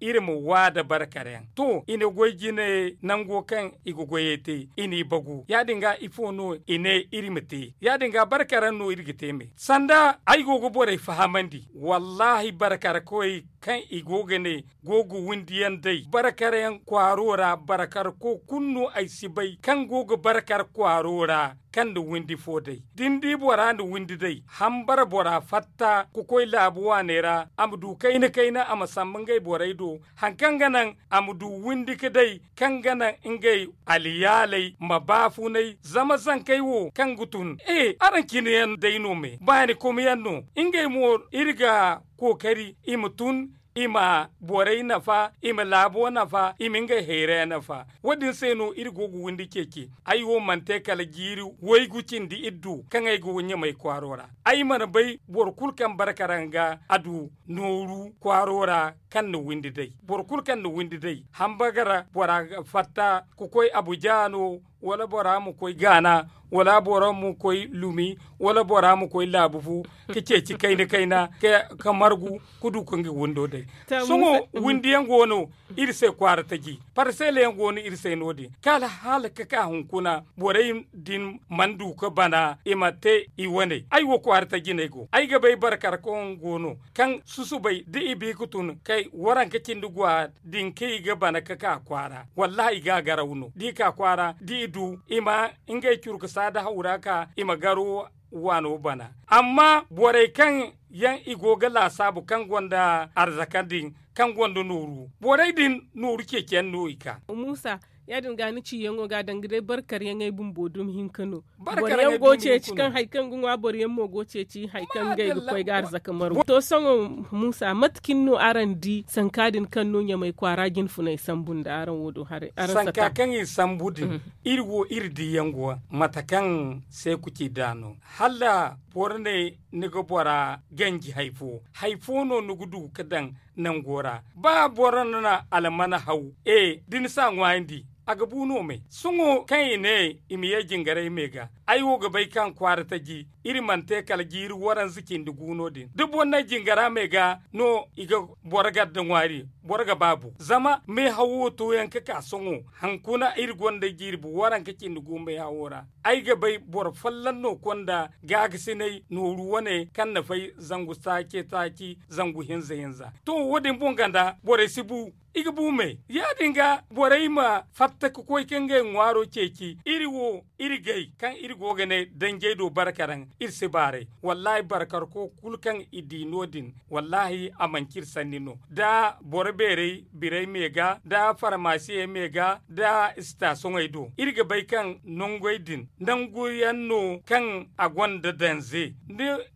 iri ma wa nda barkaraŋ to i na goy jine nango kaŋ i ga goyey te i n'i bagu ya- din ga ifo no i ne iri ma te ya- din ga barkaraŋ no iri ga te me sanda ay go ga borey fahamandi wallaahi barkarkoy kaŋ i go ga ne go ga windi yaŋ day barkar yaŋ kwaaro ra barkar ko kulu no ay si bay kaŋ go ga barkar kwaaro ra kaŋ na windi fo day da ni di bora na windi day hambara bora fatta ga koy laabu waaney ra a ma du kayna kayna a ma sambu ngey borey do hari kaŋ ga naŋ a ma du windi ga day kaŋ ga naŋ ngey alyaaley ma baafunay zama zankey wo kaŋ ga tun e araŋ cine yaŋ day no me baani komo yaŋ no ngey mo iri ga kookari i ma tun i ma borey nafa i ma laabo nafa i ma ngey hayray nafa wo- din se no iri go ga windi ceeci ay wo mana te kala jiiri waygu cindi iri du kaŋ ay go ɲamay kwaaro ra ay mana bay boro kulu kaŋ barka ra nga a du nooru kwaaro ra kaŋ na windi day boro kulu kaŋ na windi day hambagara bora ga fatta ga koy abuja no wala bora ma koy gaana wala bora ma koy lumi wala bora ma koy laabu fu ga ceeci kayna kayna ka margu ga du ga nga windo day sohõ windi yaŋ go no iri se kwaara taji parsela yaŋ go no iri se no- din kala hala ga ka hunkuna borey din mana du ga bana i ma te i wane ay wo kwaara taji no ay go ay ga bay barkar kaŋ go no kaŋ susubay da i bi ga tun kay waranka cindi gwa din kaŋ i ga bana ga ka kwaara wallaahi i ga a garaw no da i ka kwaara da i du i ma ngey curkusa da hawra ka i ma garo waano bana amma borey kaŋ yaŋ i go ga laasaabu kaŋ gonda arzaka din kaŋ gonda nooru borey din nooru ceeciyaŋ no i ka muusa ya- din ga ni ciyaŋo ga danga day barkaryaŋey bumbo dumi hinka no boro yaŋ go ceeci kaŋ hari kaŋ ga ŋwa boro yaŋ mo go ceeci hari kaŋ ngey ga koy ga arzaka margu to sohõ muusa mate cine no araŋ di sanka din kaŋ no ɲamay kwaara jinfunay sambu nda araŋ wo do haray araŋ sanka kaŋ i sambu din iri wo iri diyaŋ go mate kaŋ seeku ci nd'a no hala boro ne ni ga bora ganji hari fo hari fo no ni ga du ga daŋ nango ra ba boro na almana haw e da ni si a ŋwaayandi a ga bu no me sohõ kaŋ i ne i ma ye jingaray me ga. Ay wo ga bay kaŋ kwaara taji iri mana te kala jiiri waranza cindi gu no- din da boro na jingara me ga no i ga boro gar da ŋwaari. Boro ga baabu zama meehawo to yaŋ ka ka sohõ. Hankuna iri gonda jiiri waranka cindi gu meehawo ra. Ay ga bay boro folloŋ no konda gaagasinay nooru wane kaŋ na fay zangu taaci taaci zangu hinza hinza. To wo- din boŋ ganda borey si bu i ga bu me ya- din ga borey ma fatta ga koy ka ngey ŋwaaro ceeci iri wo iri gay kaŋ iri go ga ne danjey do barkaraŋ. Iri si baaray wallaahi barkarko kulu kaŋ i di no- din wallaahi a manci iri sanni no. Da boro beerey birey me ga da farmasiyey me ga da sitasoŋey do iri ga bay kaŋ nangey din nangu yaŋ no kaŋ a gonda danze.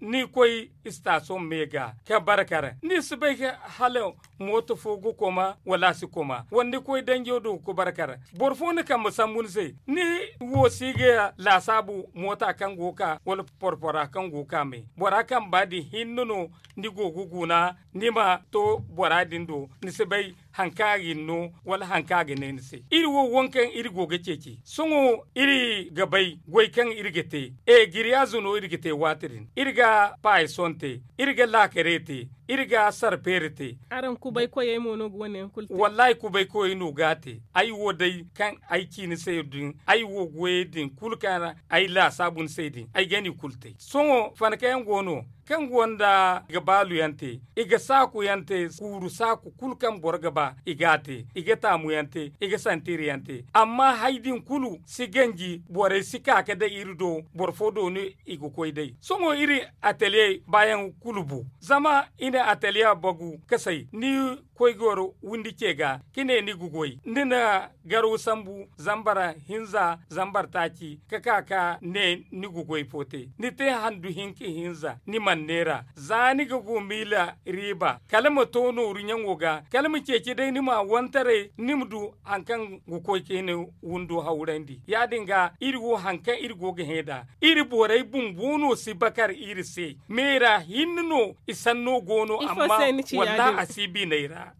Ni koy sitasoŋ me ga ka barkaraŋ ni si bay hala mooto fo ga koma wala a si koma wala ni koy danjo do ga barkaraŋ. Boro fo na kambe sambu ni se ni wo si ga laasaabu moota kaŋ go ga ka wala porpora kaŋ go ga ka me bora kamba din hinne no. Ni go ga guna ni ma to bora din do ni si bay haŋ kaŋ a ga ni no wala haŋ kaŋ a ga ne ni se iri wo wo kaŋ iri go ga ceeci sohõ iri ga bay goy kaŋ iri ga te. E giriyaazo no iri ga te waati din iri ga paayisoŋ te iri ga laakare te iri ga sarpeere te. Araŋ kubay koyey mo no ga wane yaŋ kulu te. Wallaahi kubay koyey no ga a te. Ay wo day kaŋ ay ci ni se din ay wo goyey din kulu kaŋ ay laasaabu ni se din ay ga ni kulu te sohõ fanakayaŋ go no kaŋ gonda i ga baalu yaŋ te i ga saaku yaŋ te kuuru saaku kulu kaŋ boro ga ba i ga a te i ga taamu yaŋ te i ga santiiri yaŋ te. Amma hari din kulu si ganji borey si ka ga day iri do boro fo do no i ga koy day sohõ iri ataliye baayaŋ kulu bu zama i na ataliye bagu kasay ni koy goro windi ce ga ka ne ni ga goy ni na garaw sambu zambar hinza zambar taaci ka ka ka ne ni ga goy fo te ni te handu hinka hinza ni mana neera za ni ga go miila riiba kala ma to nooru ɲaŋo ga kala ma ceeci day ni ma wantaray ni ma du haŋ kaŋ ga koy ka hina windo hawrandi ya- din ga iri wo haŋ kaŋ iri go ga hẽ nd'a iri borey bumbo no si bakar iri se. Meera hinne no i sanno go no amma wallaahi a si biney ra.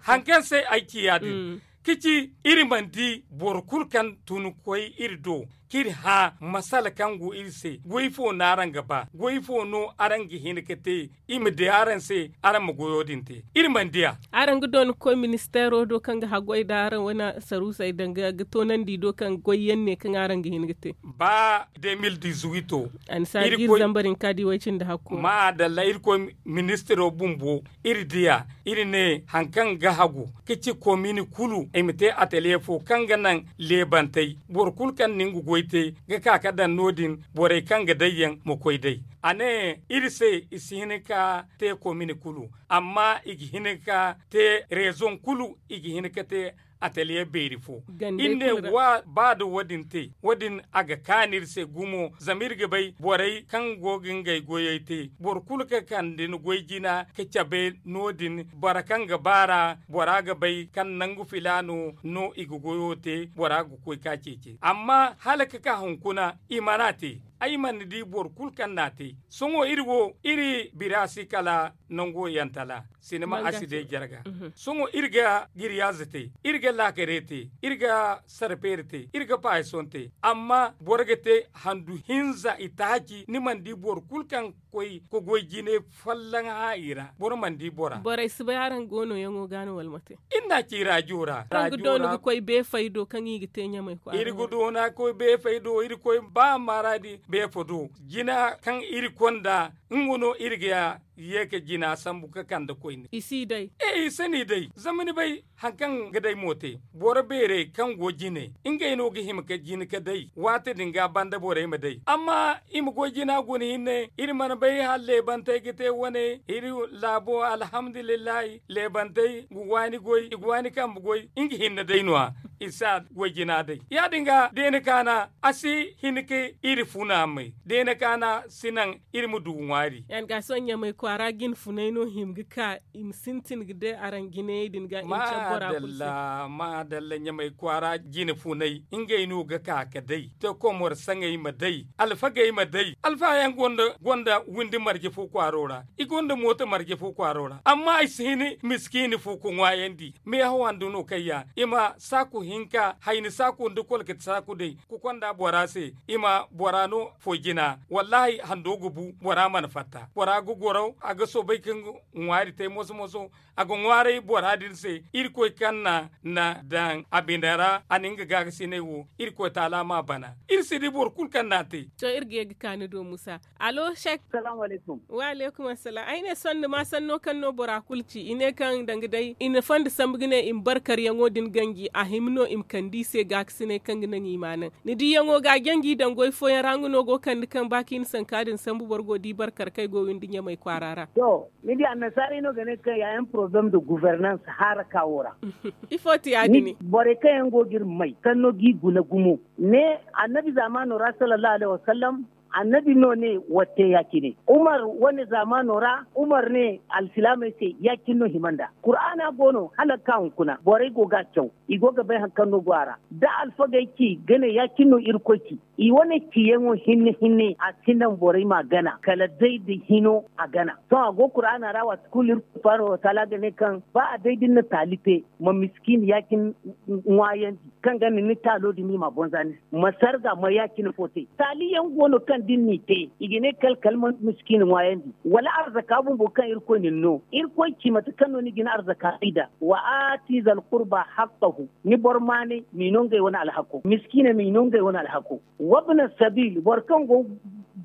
Haŋ kaŋ se ay ci ya- din ka ci iri mana di boro kulu kaŋ tun ga koy iri do ka iri hã masala kaŋ go iri se goy fo no araŋ ga ba goy fo no araŋ ga hin ga te? I ma di araŋ se araŋ ma goyo din te iri mana di a. Araŋ ga doona ga koy ministeero do kaŋ ga haggoy nda araŋ wane saruusey danga ga toonandi do kaŋ goy yaŋ ne kaŋ araŋ ga hin ga te. Ba de mil dizuwito a na si a ga iri zambar hinka di way cindi hakko maadalla iri koy ministiro bumbo iri diya iri ne haŋ kaŋ ga hagu ka ci komini kulu i ma te ataliye fo kaŋ ga naŋ leebantey boro kulu kaŋ na nga goy te ga ka ga daŋ no- din borey kaŋ ga day yaŋ ma koy day. A ne iri se i si hin ka te komini kulu amma i ga hin ka te rezoŋ kulu i ga hin ka te ataliye beeri fo. Iri ne ba nda wo- din te wo- din a ga kaanu iri se gumo zama iri ga bay borey kaŋ go ga ngey goyey te boro kulu ga kande ni goy jina ka cabe no- din boro kaŋ ga baar'a bora ga bay kaŋ nangu filaano no i ga goyo te bora ga koy ka ceeci amma hala ga ka hunkuna i mana te. Ay mana di boro kulu kaŋ n'a te sohõ iri wo iri bira si kala nango yantala sinima a si day jarga. Sohõ iri ga giriyaaze te iri ga laakare te iri ga sarpeere te iri ga paayisoŋ te amma boro ga te handu hinza itaaci ni mana di boro kulu kaŋ ga koy ga goy jine folloŋ hã i ra boro mana di bora. Borey si bay araŋ go nooyaŋo ga no wala mate? Iri n'a ci raajo ra. Araŋ ga doona ga koy beefey do kaŋ i ga te ɲamey kwaara iri ga doona ga koy beefey do iri koy ba maaradi beefo do jina kaŋ iri konda nga no iri ga ye ga jina sambu ga kande koyne. I si day. E i si ni day zama ni bay haŋ kaŋ ga day mo te boro beerey kaŋ go jine ngey no ga hima ga jina ga day waati din ga banda borey ma day amma i ma goy jina guna hinne iri mana bay hala leebantey ga te wane iri laabo alhamdulillahi. Leebantey ga waani goy i ga waani kambe goy nga hinne day no- ya i si a goy jina day ya- din ga da i na kaana a si hin ga iri funa may da i na kaana si naŋ iri ma du ŋwaari. kwaara jine funay no hima ga ka i ma sintin ga day araŋ jinayey din ga i ma care bora kulu se. Maadalla, maadalla ɲamay kwaara jine funay ngey no ga ka ga day te komor saŋey ma day, alfagey ma day. Alfaha yaŋ gonda windi marje fo kwaaro ra, i gonda mooto marje fo kwaaro ra. Amma i si hin miskiini fo ga ŋwaayandi. Meehaw hando no kaŋ ya i ma saaku hinka hayni saaku nda kolkati saaku day ka konda bora se, i ma bora no foy jina. Wallaahi hando ga bu bora mana fatta, bora ga goro a ga soobay ka nga ŋwaari te moso-moso. A ga ŋwaaray bora din se. Irkoy kaŋ na na daŋ a bine ra a na nga gaakasinay wo. Irkoy taala m'a bana. Iri si di boro kulu kaŋ n'a te. To iri ga ye ga ka ni do musa. Allo sek. Wa aleykum assalaam ay ne sohõ ni ma sanno kaŋ no bora kulu ci i ne kaŋ danga day i na fondo sambu ga ne i ma barkaryaŋo din ganji a hima no i ma kande i se gaakasinay kaŋ ga naŋ i ma a naŋ. Ni diyaŋo ga a janji daŋ goy fooyaŋ ra nga no go ga kande kaŋ ba kaŋ i na sanka din sambu boro go di barkar kaŋ ay go windi ɲamay kwaara ra. To, ni di annasaarey no ga ne kaŋ ya yaŋ poroblem de guvernans haara kaawo ra. Ifo ti ya- din borey kaŋ yaŋ go ga iri may kaŋ no ga i guna gumo ne annabi zaamaano ra sallallahu alaihi wasallam. Annabi no ne watte ya- cine umar wane zaamaano ra umar ne alsilaamey se ya- cine no hima nd'a. Kuraana go no hala ga ka hunkuna borey go ga a caw. I go ga bay hari kaŋ no go a ra da alfagey ci ga ne ya- cine no irkoy ci. I wane ciyaŋo hinne hinne a si naŋ borey m'a gana kala day da hino a gana. Sohõ a go kuraana ra waati kulu iri kulu faaro wataala ga ne kaŋ ba a day da ni na taali te ma miskiina ya- cine ŋwaayandi kaŋ ga ni ni taalo din ni m'a bonza ni se ma sarga ma ya- cine fo te. Taali yaŋ go no kaŋ da ni n'i te i ga ne kala kala ma miskiina ŋwaayandi wala arzaka bumbo kaŋ irkoy na ni no irkoy ci mate kaŋ no ni ga ni arzaka bay nd'a. Wa aati zalkurba hakkahu. Ni boro maanay m'i no ngey wane alhako miskiiney m'i no ngey wane alhako. Wabna sabiil boro kaŋ go ga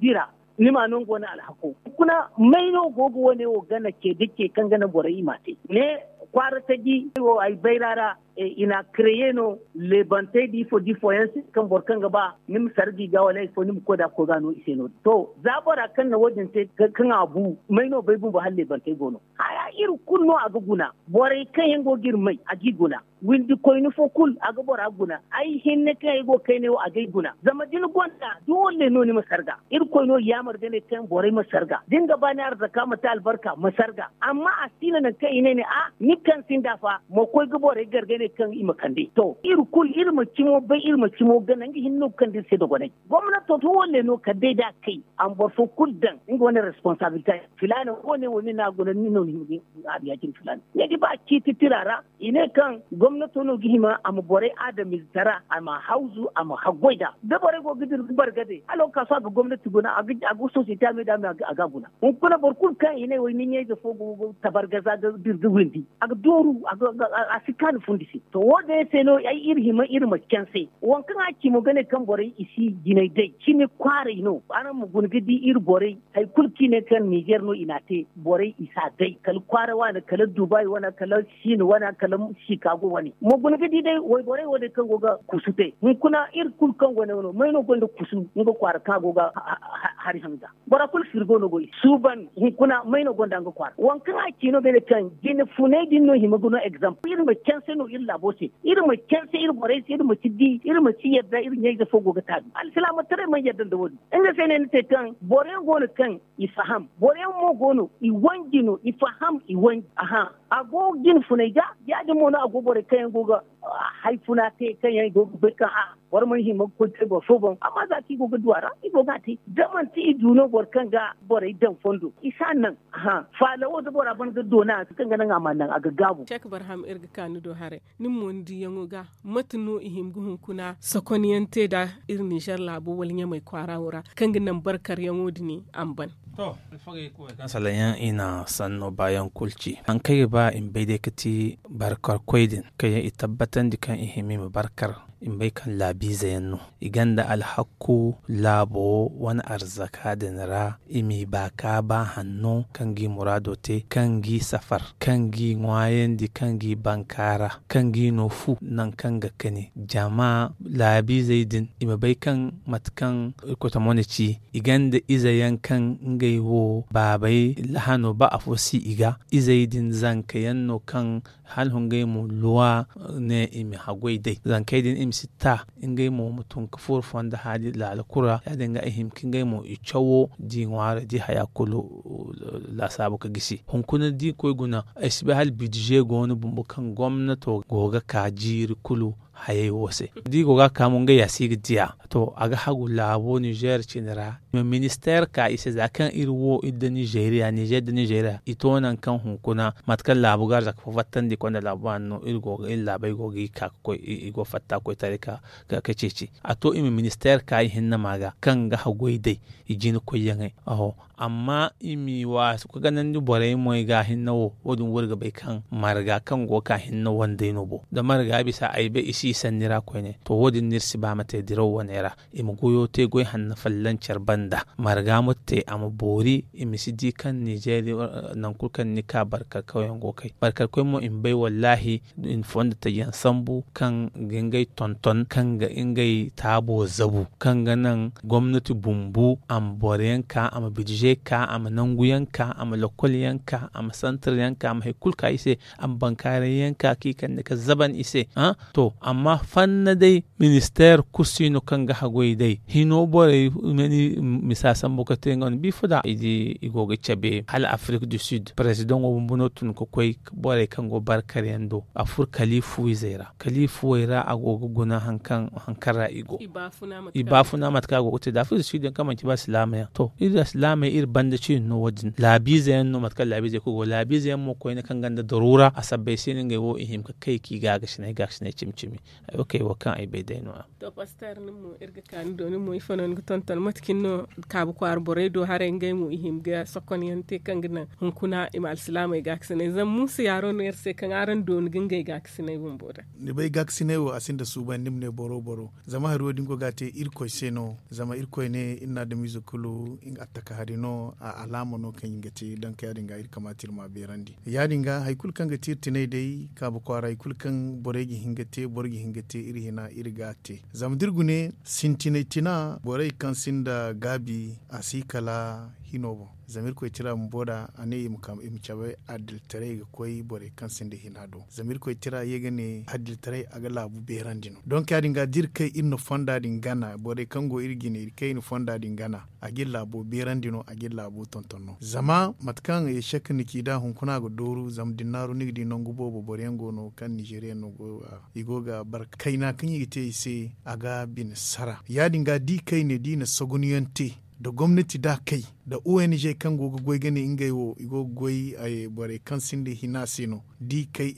dira ni m'a no nga wane alhako. Kuna may no go ga wane wo gana ce da ce kaŋ ga naŋ borey i m'a te ne kwaara taji wo ay bayra ra. I n'a kreye no leebantey da ifo da ifooyaŋ se kaŋ boro kaŋ ga ba ni ma sarga i ga wala ifo ni ma koy nd'a ga koy ga a no i se no- din to za bora kaŋ na wo- din te kaŋ a bu may no bay bumbo hala leebantey go no. Haya iri kulu no a ga guna borey kaŋ yaŋ go ga iri may a g'i guna. Windi koyne fo kulu a ga bora guna. Ay hinne kaŋ ay go ga kayne wo a g'ay guna zama da ni gonda doole no ni ma sarga. Irkoy no yaamar ga ne kaŋ borey ma sarga da ni ga ba ni arzaka ma te albarka ma sarga. Amma a si no nangu kaŋ i ne ne a ni kaŋ sinda fa ma koy ga borey gar ga ne kaŋ i ma kande to iri kulu iri ma cimo bay iri ma cimo gana nga hinne no ga kande iri se dogonay. Gomnato doole no kala day da a kay a ma boro fo kulu daŋ nga wane responsabilite. Filaana wo- ne wo ni n'a guna ni no ni hima ga a biya cine filaana. Ni ga ba ciiti tira ra i ne kaŋ gomnato no ga hima a ma borey adamize tara a ma hawzu a ma haggoy nd'a da borey go ga dira ga bargade hala wo ga ka sohõ a ga gomnati guna a ga sosiyete a me da a me a ga a guna. Hunkuna boro kulu kaŋ i ne wo ay ni ɲayze fo go ga tabargaza ga dira ga windi a ga dooru a si kaanu fundi se. To wo- din yaŋ se no ay iri hima iri ma canse waŋ kaŋ a ci mo ga ne kaŋ borey i si jinay day cimi kwaaray no araŋ ma guna ga di iri borey. Hari kulu kaŋ i ne kaŋ nizer no i n'a te borey i s'a day kala kwaara waana kala dubai wane kala siin wane kala sikago wane ma guna ga di day wayborey wo- din kaŋ go ga kusu te hunkuna iri kulu kaŋ go ne wano may no gonda kusu nga kwaara kaŋ a go ga hari hanga. Bora kulu firgo no go i suuban hunkuna may no gonda nga kwaara waŋ kaŋ a ci no ga ne kaŋ jine funay din no hima ga no egzamp iri ma canse no iri laabo se. Iri ma canse iri borey se iri ma si di iri ma si yadda iri ɲayze fo go ga taabi alsilaamataray mana yadda nda wo- din. Nga se no ay na te kaŋ boro yaŋ go no kaŋ i faham boro yaŋ mo go no i wanji no i faham i wanji. Aha. A go jine funay ga ya- din mo no a go borey kaŋ yaŋ go ga hari funa te kaŋ yaŋ i go ga bay kaŋ a boro mana hima ga koy te boro fo boŋ amma za kaŋ i go ga du a ra i go ga a te da manti i du no boro kaŋ ga borey daŋ fondo i si a naŋ. Aha faala wo da bora ban ga doona kaŋ ga naŋ a ma naŋ a ga gaabu. Cek barham iri ga ka ni do haray. Ni mo ni diyaŋo ga mate no i hima ga hunkuna sokonyaŋ te nd'a iri nizer laabo wala ɲamay kwaara wo ra kaŋ ga naŋ barkaryaŋo din a ma ban. To alfagey koy kaŋ salaŋ yaŋ i na sanno baayaŋ kulu ci hari kaŋ ay ga ba i ma bay day ga ti barkarkoy din kaŋ yaŋ i tabbatandi kaŋ i hima i ma barkar i ma bay kaŋ laabiize yaŋ no. I gonda alhakku laabo wane arzaka din ra i m'i ba ka ba hanno kaŋ g'i muraado te kaŋ g'i safar kaŋ g'i ŋwaayandi kaŋ g'i bankaara kaŋ g'i no fu nangu kaŋ ga kani jama laabiizey din i ma bay kaŋ mate kaŋ irkoy tamo na ci i gonda ize yaŋ kaŋ ngey wo baabey lahano ba afo si i ga izey din zanka yaŋ no kaŋ hala hungay mo luwa ne i ma haggoy day zankey din. i ma si ta ngey mo ma tun ga furo fonda haaji laala kulu ra. Ya- din ga i hima ka ngey mo i cawo da i ŋwaarey da i haya kulu laasaabu ga gisi. Hunkuna da i koy guna ay si bay hala bidize go no bumbo kaŋ gomnato go ga ka jiiri kulu hayey wo se da i go ga a ka mo ngey ya si ga diya. To, a ga hagu laabo nizer cine ra. I ma ministeer ka i se za kaŋ iri wo iri nda nizeeriya nizer nda nizeeriya i to nangu kaŋ hunkuna mate kaŋ laabu ga arzaka fo fattandi konda laabu waani no iri go ga iri laabey go ga i ka ga koy i go fatta koy taray ka ceeci. A to i ma ministeer ka i hinne ma ga kaŋ ga hagoy day i jina koyyaŋey. Amma i m'i waasu ka ganandi borey moy ga hinne wo wo- din wo iri ga bay kaŋ marga kaŋ go ga ka hinne wandey no bo da marga bisa ay bay i si i sanni ra koyne to wo- din no iri si ba ma te diraw wane ra. I ma goyo te goy hanno folloŋ care banda marga ma te a ma boori i ma si di kaŋ ninzeeri nangu kulu kaŋ ni ka barkar kawyaŋ go ga kay barkar koy mo i ma bay wallaahi i na fondo taji yaŋ sambu kaŋ ga ngey tonton kaŋ ga ngey taabo zabu kaŋ ga naŋ gomnati bumbu a ma boro yaŋ ka a ma bidize ka a ma nangu yaŋ ka a ma lokol yaŋ ka a ma santar yaŋ ka a ma hari kulu ka i se a ma bankaaray yaŋ ka kaŋ i kande ga zaban i se. To amma fanna day ministeer kulu si no kaŋ ga hagoy day hino borey misa sambu ga te nga wane bifo da i go ga cabe hala afirik du sud parezidaŋo bumbu no tun ga koy borey kaŋ go barkar yaŋ do a furo kaliifu izey ra kaliifuwey ra a go ga guna hari kaŋ ra i go i baafuna mate kaŋ a go ga te da afirik du sud yaŋ kaŋ manci ba silaama yaŋ to iri da silaamey iri banda ciini no wo- din laabiize yaŋ no mate kaŋ laabiizey kulu go laabiize yaŋ mo koyne kaŋ gonda daruura a sabbay se no ngey wo i hima ga kay ka i gaagasinay gaagasinay cimi cimi. Ay wo kaŋ ay bay day no- ya. To paster nin mo iri ga ka ni do nin mo ifo no ni ga tonton mate cine no kaabu kwaara borey do haray ngey mo i hima ga sokon yaŋ te kaŋ ga naŋ hunkuna i ma alsilaamey gaakasinay zama muusa yaaro no iri se kaŋ araŋ dooni ga ngey gaakasinay bumbo da. Ni bay gaakasinay wo a sinda suuban ni ma ne boro boro zama hari wo- din go ga a te irkoy se no zama irkoy ne iri na adamiize kulu a taka hari no a alaama no kaŋ i ga te donk ya- din ga iri kamaata iri ma a beerandi. Ya- din ga hari kulu kaŋ ga te iri tinay day kaabu kwaara hari kulu kaŋ borey ga hin ga te boro ga hin ga te iri hina iri ga a te zama da iri gune sintinay tina borey kaŋ sinda gaabi a si kala hino boŋ. Zama irkoy tira bumbo da a ne i ma cabe adilitaray ga koy borey kaŋ sinda hina do zama irkoy tira ye ga ne adilitaray a ga laabu beerandi no donk ya- din ga da iri kay iri na fonda din gana borey kaŋ go iri jine iri kay iri na fonda din gana a ga iri laabo beerandi no a ga iri laabo tonton no zama mate kaŋ ecek ni ci da hunkuna a ga dooru zama da ni naaru ni ga di nangu boobo boro yaŋ go no kaŋ nizeeriya no go i go ga barka kayna kaŋ i ga te i se a ga bine sara ya- din ga da i kay ne da i na sogonuyaŋ te nda gomnati da a kay nda ong kaŋ go ga goy ga ne ngey wo i go ga goy borey kaŋ sinda hina se no da i kay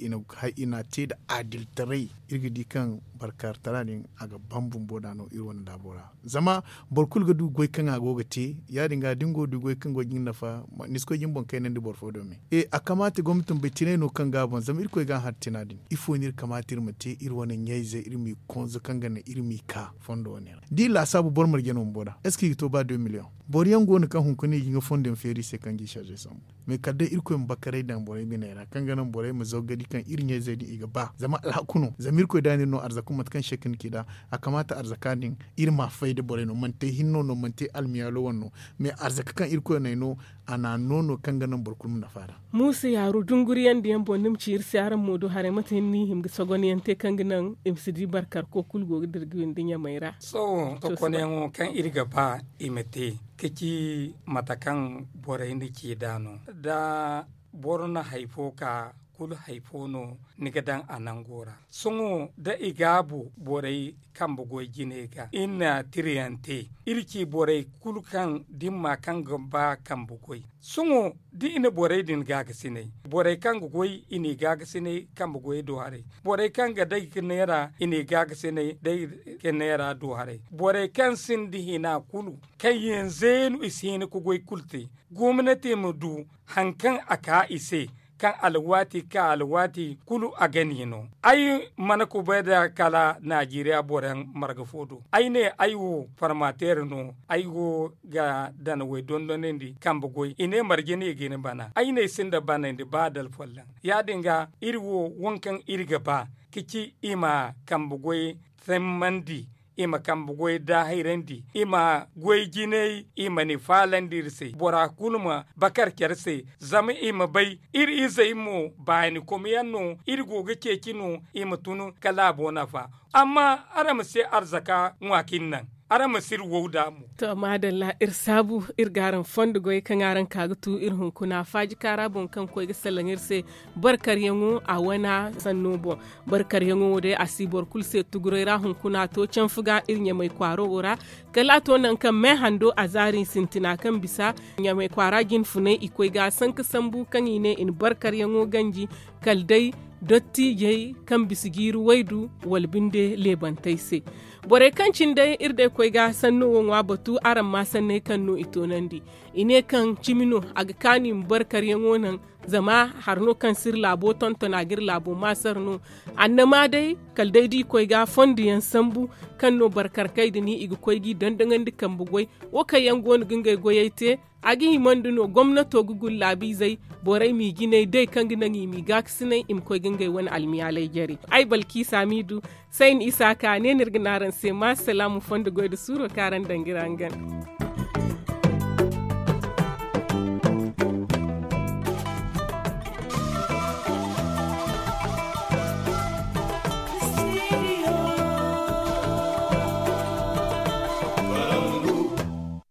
i na te nda adilitaray iri ga di kaŋ barkaartara din a ga ban bumbo da no iri wane laabo ra zama boro kulu ga du goy kaŋ a go ga te ya- din ga da ni go ga du goy kaŋ go ga ni nafa ni si koy ga ni boŋ kaynandi boro fo do me a kamaata gomnati ma bay tinay no kaŋ ga a boŋ zama irkoy ga a hari tina din ifo no iri kamaata iri ma te iri wane ɲayze iri m'i konzo kaŋ ga naŋ iri m'i ka fondo wane ra da i laasaabu boro marje no bumbo da est ce que i ga to ba deux millions boro yaŋ go no kaŋ hunkuna i ga nga fondo yaŋ feeri i se kaŋ ga i charge sambu mais kala day irkoy ma bakaray daŋ borey biney ra kaŋ ga naŋ borey ma zaw ga di kaŋ iri ɲayzey din i ga ba zama alhaku no zama irkoy da no iri no arzaka mate kaŋ shek ni ci da a kamaata arzaka din iri ma fay da borey no manti ay hinno no manti ay almiyaalo wane no mais arzaka kaŋ irkoy no ay no a na a no no kaŋ ga naŋ boro kulu ma nafa da muusa yaaru dunguriyaŋ da yaŋ boŋ ni ma ci iri se araŋ mo do haray mate hinne no i hima ga sogonyaŋ te kaŋ ga naŋ i ma si di barkarko kulu go ga dira ga windi ɲamey ra sohõ sohõ sohõ kaŋ iri ga ba i ma te ka ci mate kaŋ borey na ci nd'a no da boro na hari fo ka kulu hari fo no ni ga daŋ a nango ra sohõ da i gaabu borey kambe goy jine ga iri na tirayaŋ te iri ci borey kulu kaŋ dimma kaŋ ga ba kambe goy sohõ da i na borey din gaagasinay borey kaŋ ga goy i n'i gaagasinay kambe goy do haray borey kaŋ ga day ga neera i n'i gaagasinay day ga neera do haray borey kaŋ sinda hina kulu kaŋ yaŋ zeenu i si hin ka goy kulu te gomnati ma du hari kaŋ a ka i se kaŋ alwaati ka alwaati kulu a ga ni no ay mana kubay da kala najeriya boroyaŋ marga fo do ay ne ay wo farmateer no ay go ga danawey dondonandi kambe goy i ne marje no i ga ni bana ay ne ay sinda banandi ba da alfolloŋ ya- din ga iri wo waŋ kaŋ iri ga ba ka ci i ma kambe goy tammandi i ma kambe goy da hayrandi, i ma goy jinay, i ma ni faalandi iri se. Bora kulu ma bakar care se, zama i ma bay iri izey mo baani komyaŋ no iri go ga ceeci no, i ma tun ka laabo nafa. Amma araŋ ma si arzaka ŋwa ka iri naŋ, araŋ ma si iri wow da mo. To maadalla, iri saabu iri ga araŋ fondo goy kaŋ araŋ ka ga tu iri hunkuna faaji kaara boŋ kaŋ koy ga salaŋ iri se. Barkaryaŋo a wana sanno boŋ. Barkaryaŋo wo day a si boro kulu se tuguray ra hunkuna to canfu ga iri ɲamay kwaaro wo ra. Kala a to nangu kaŋ me hando a zaari sintina kaŋ bisa ɲamay kwaara jinfunay i koy ga sanka sambu kaŋ i ne i na barkaryaŋo ganji. Kala day dottiijey kaŋ bisa jiiri waydu wala binde leebantey se. Borey kaŋ cine day iri day koy ga sanno wo ŋwa batu araŋ ma sanney kaŋ no i toonandi. I ne kaŋ cimi no a ga kaanu i ma barkaryaŋo naŋ. Zama hari no kaŋ si iri laabo tonton a ga iri laabo maasar no. Annama day kala day da i koy ga fonduyaŋ sambu kaŋ no barkarkey din i ga koy g'i dondoŋandi kambe goy. Wo kaŋ yaŋ go no ga ngey goyey te a ga himandi no gomnato ga guna laabiizey borey m'i jinay day kaŋ ga naŋ i m'i gaakasinay i ma koy ga ngey wane almiyaaley jare. Ay balkiisa m'i du. Sayni isaaka ne no iri ga ne araŋ se ma salaamu fondo goy nda suuro kaŋ araŋ daŋ ga iri hangan.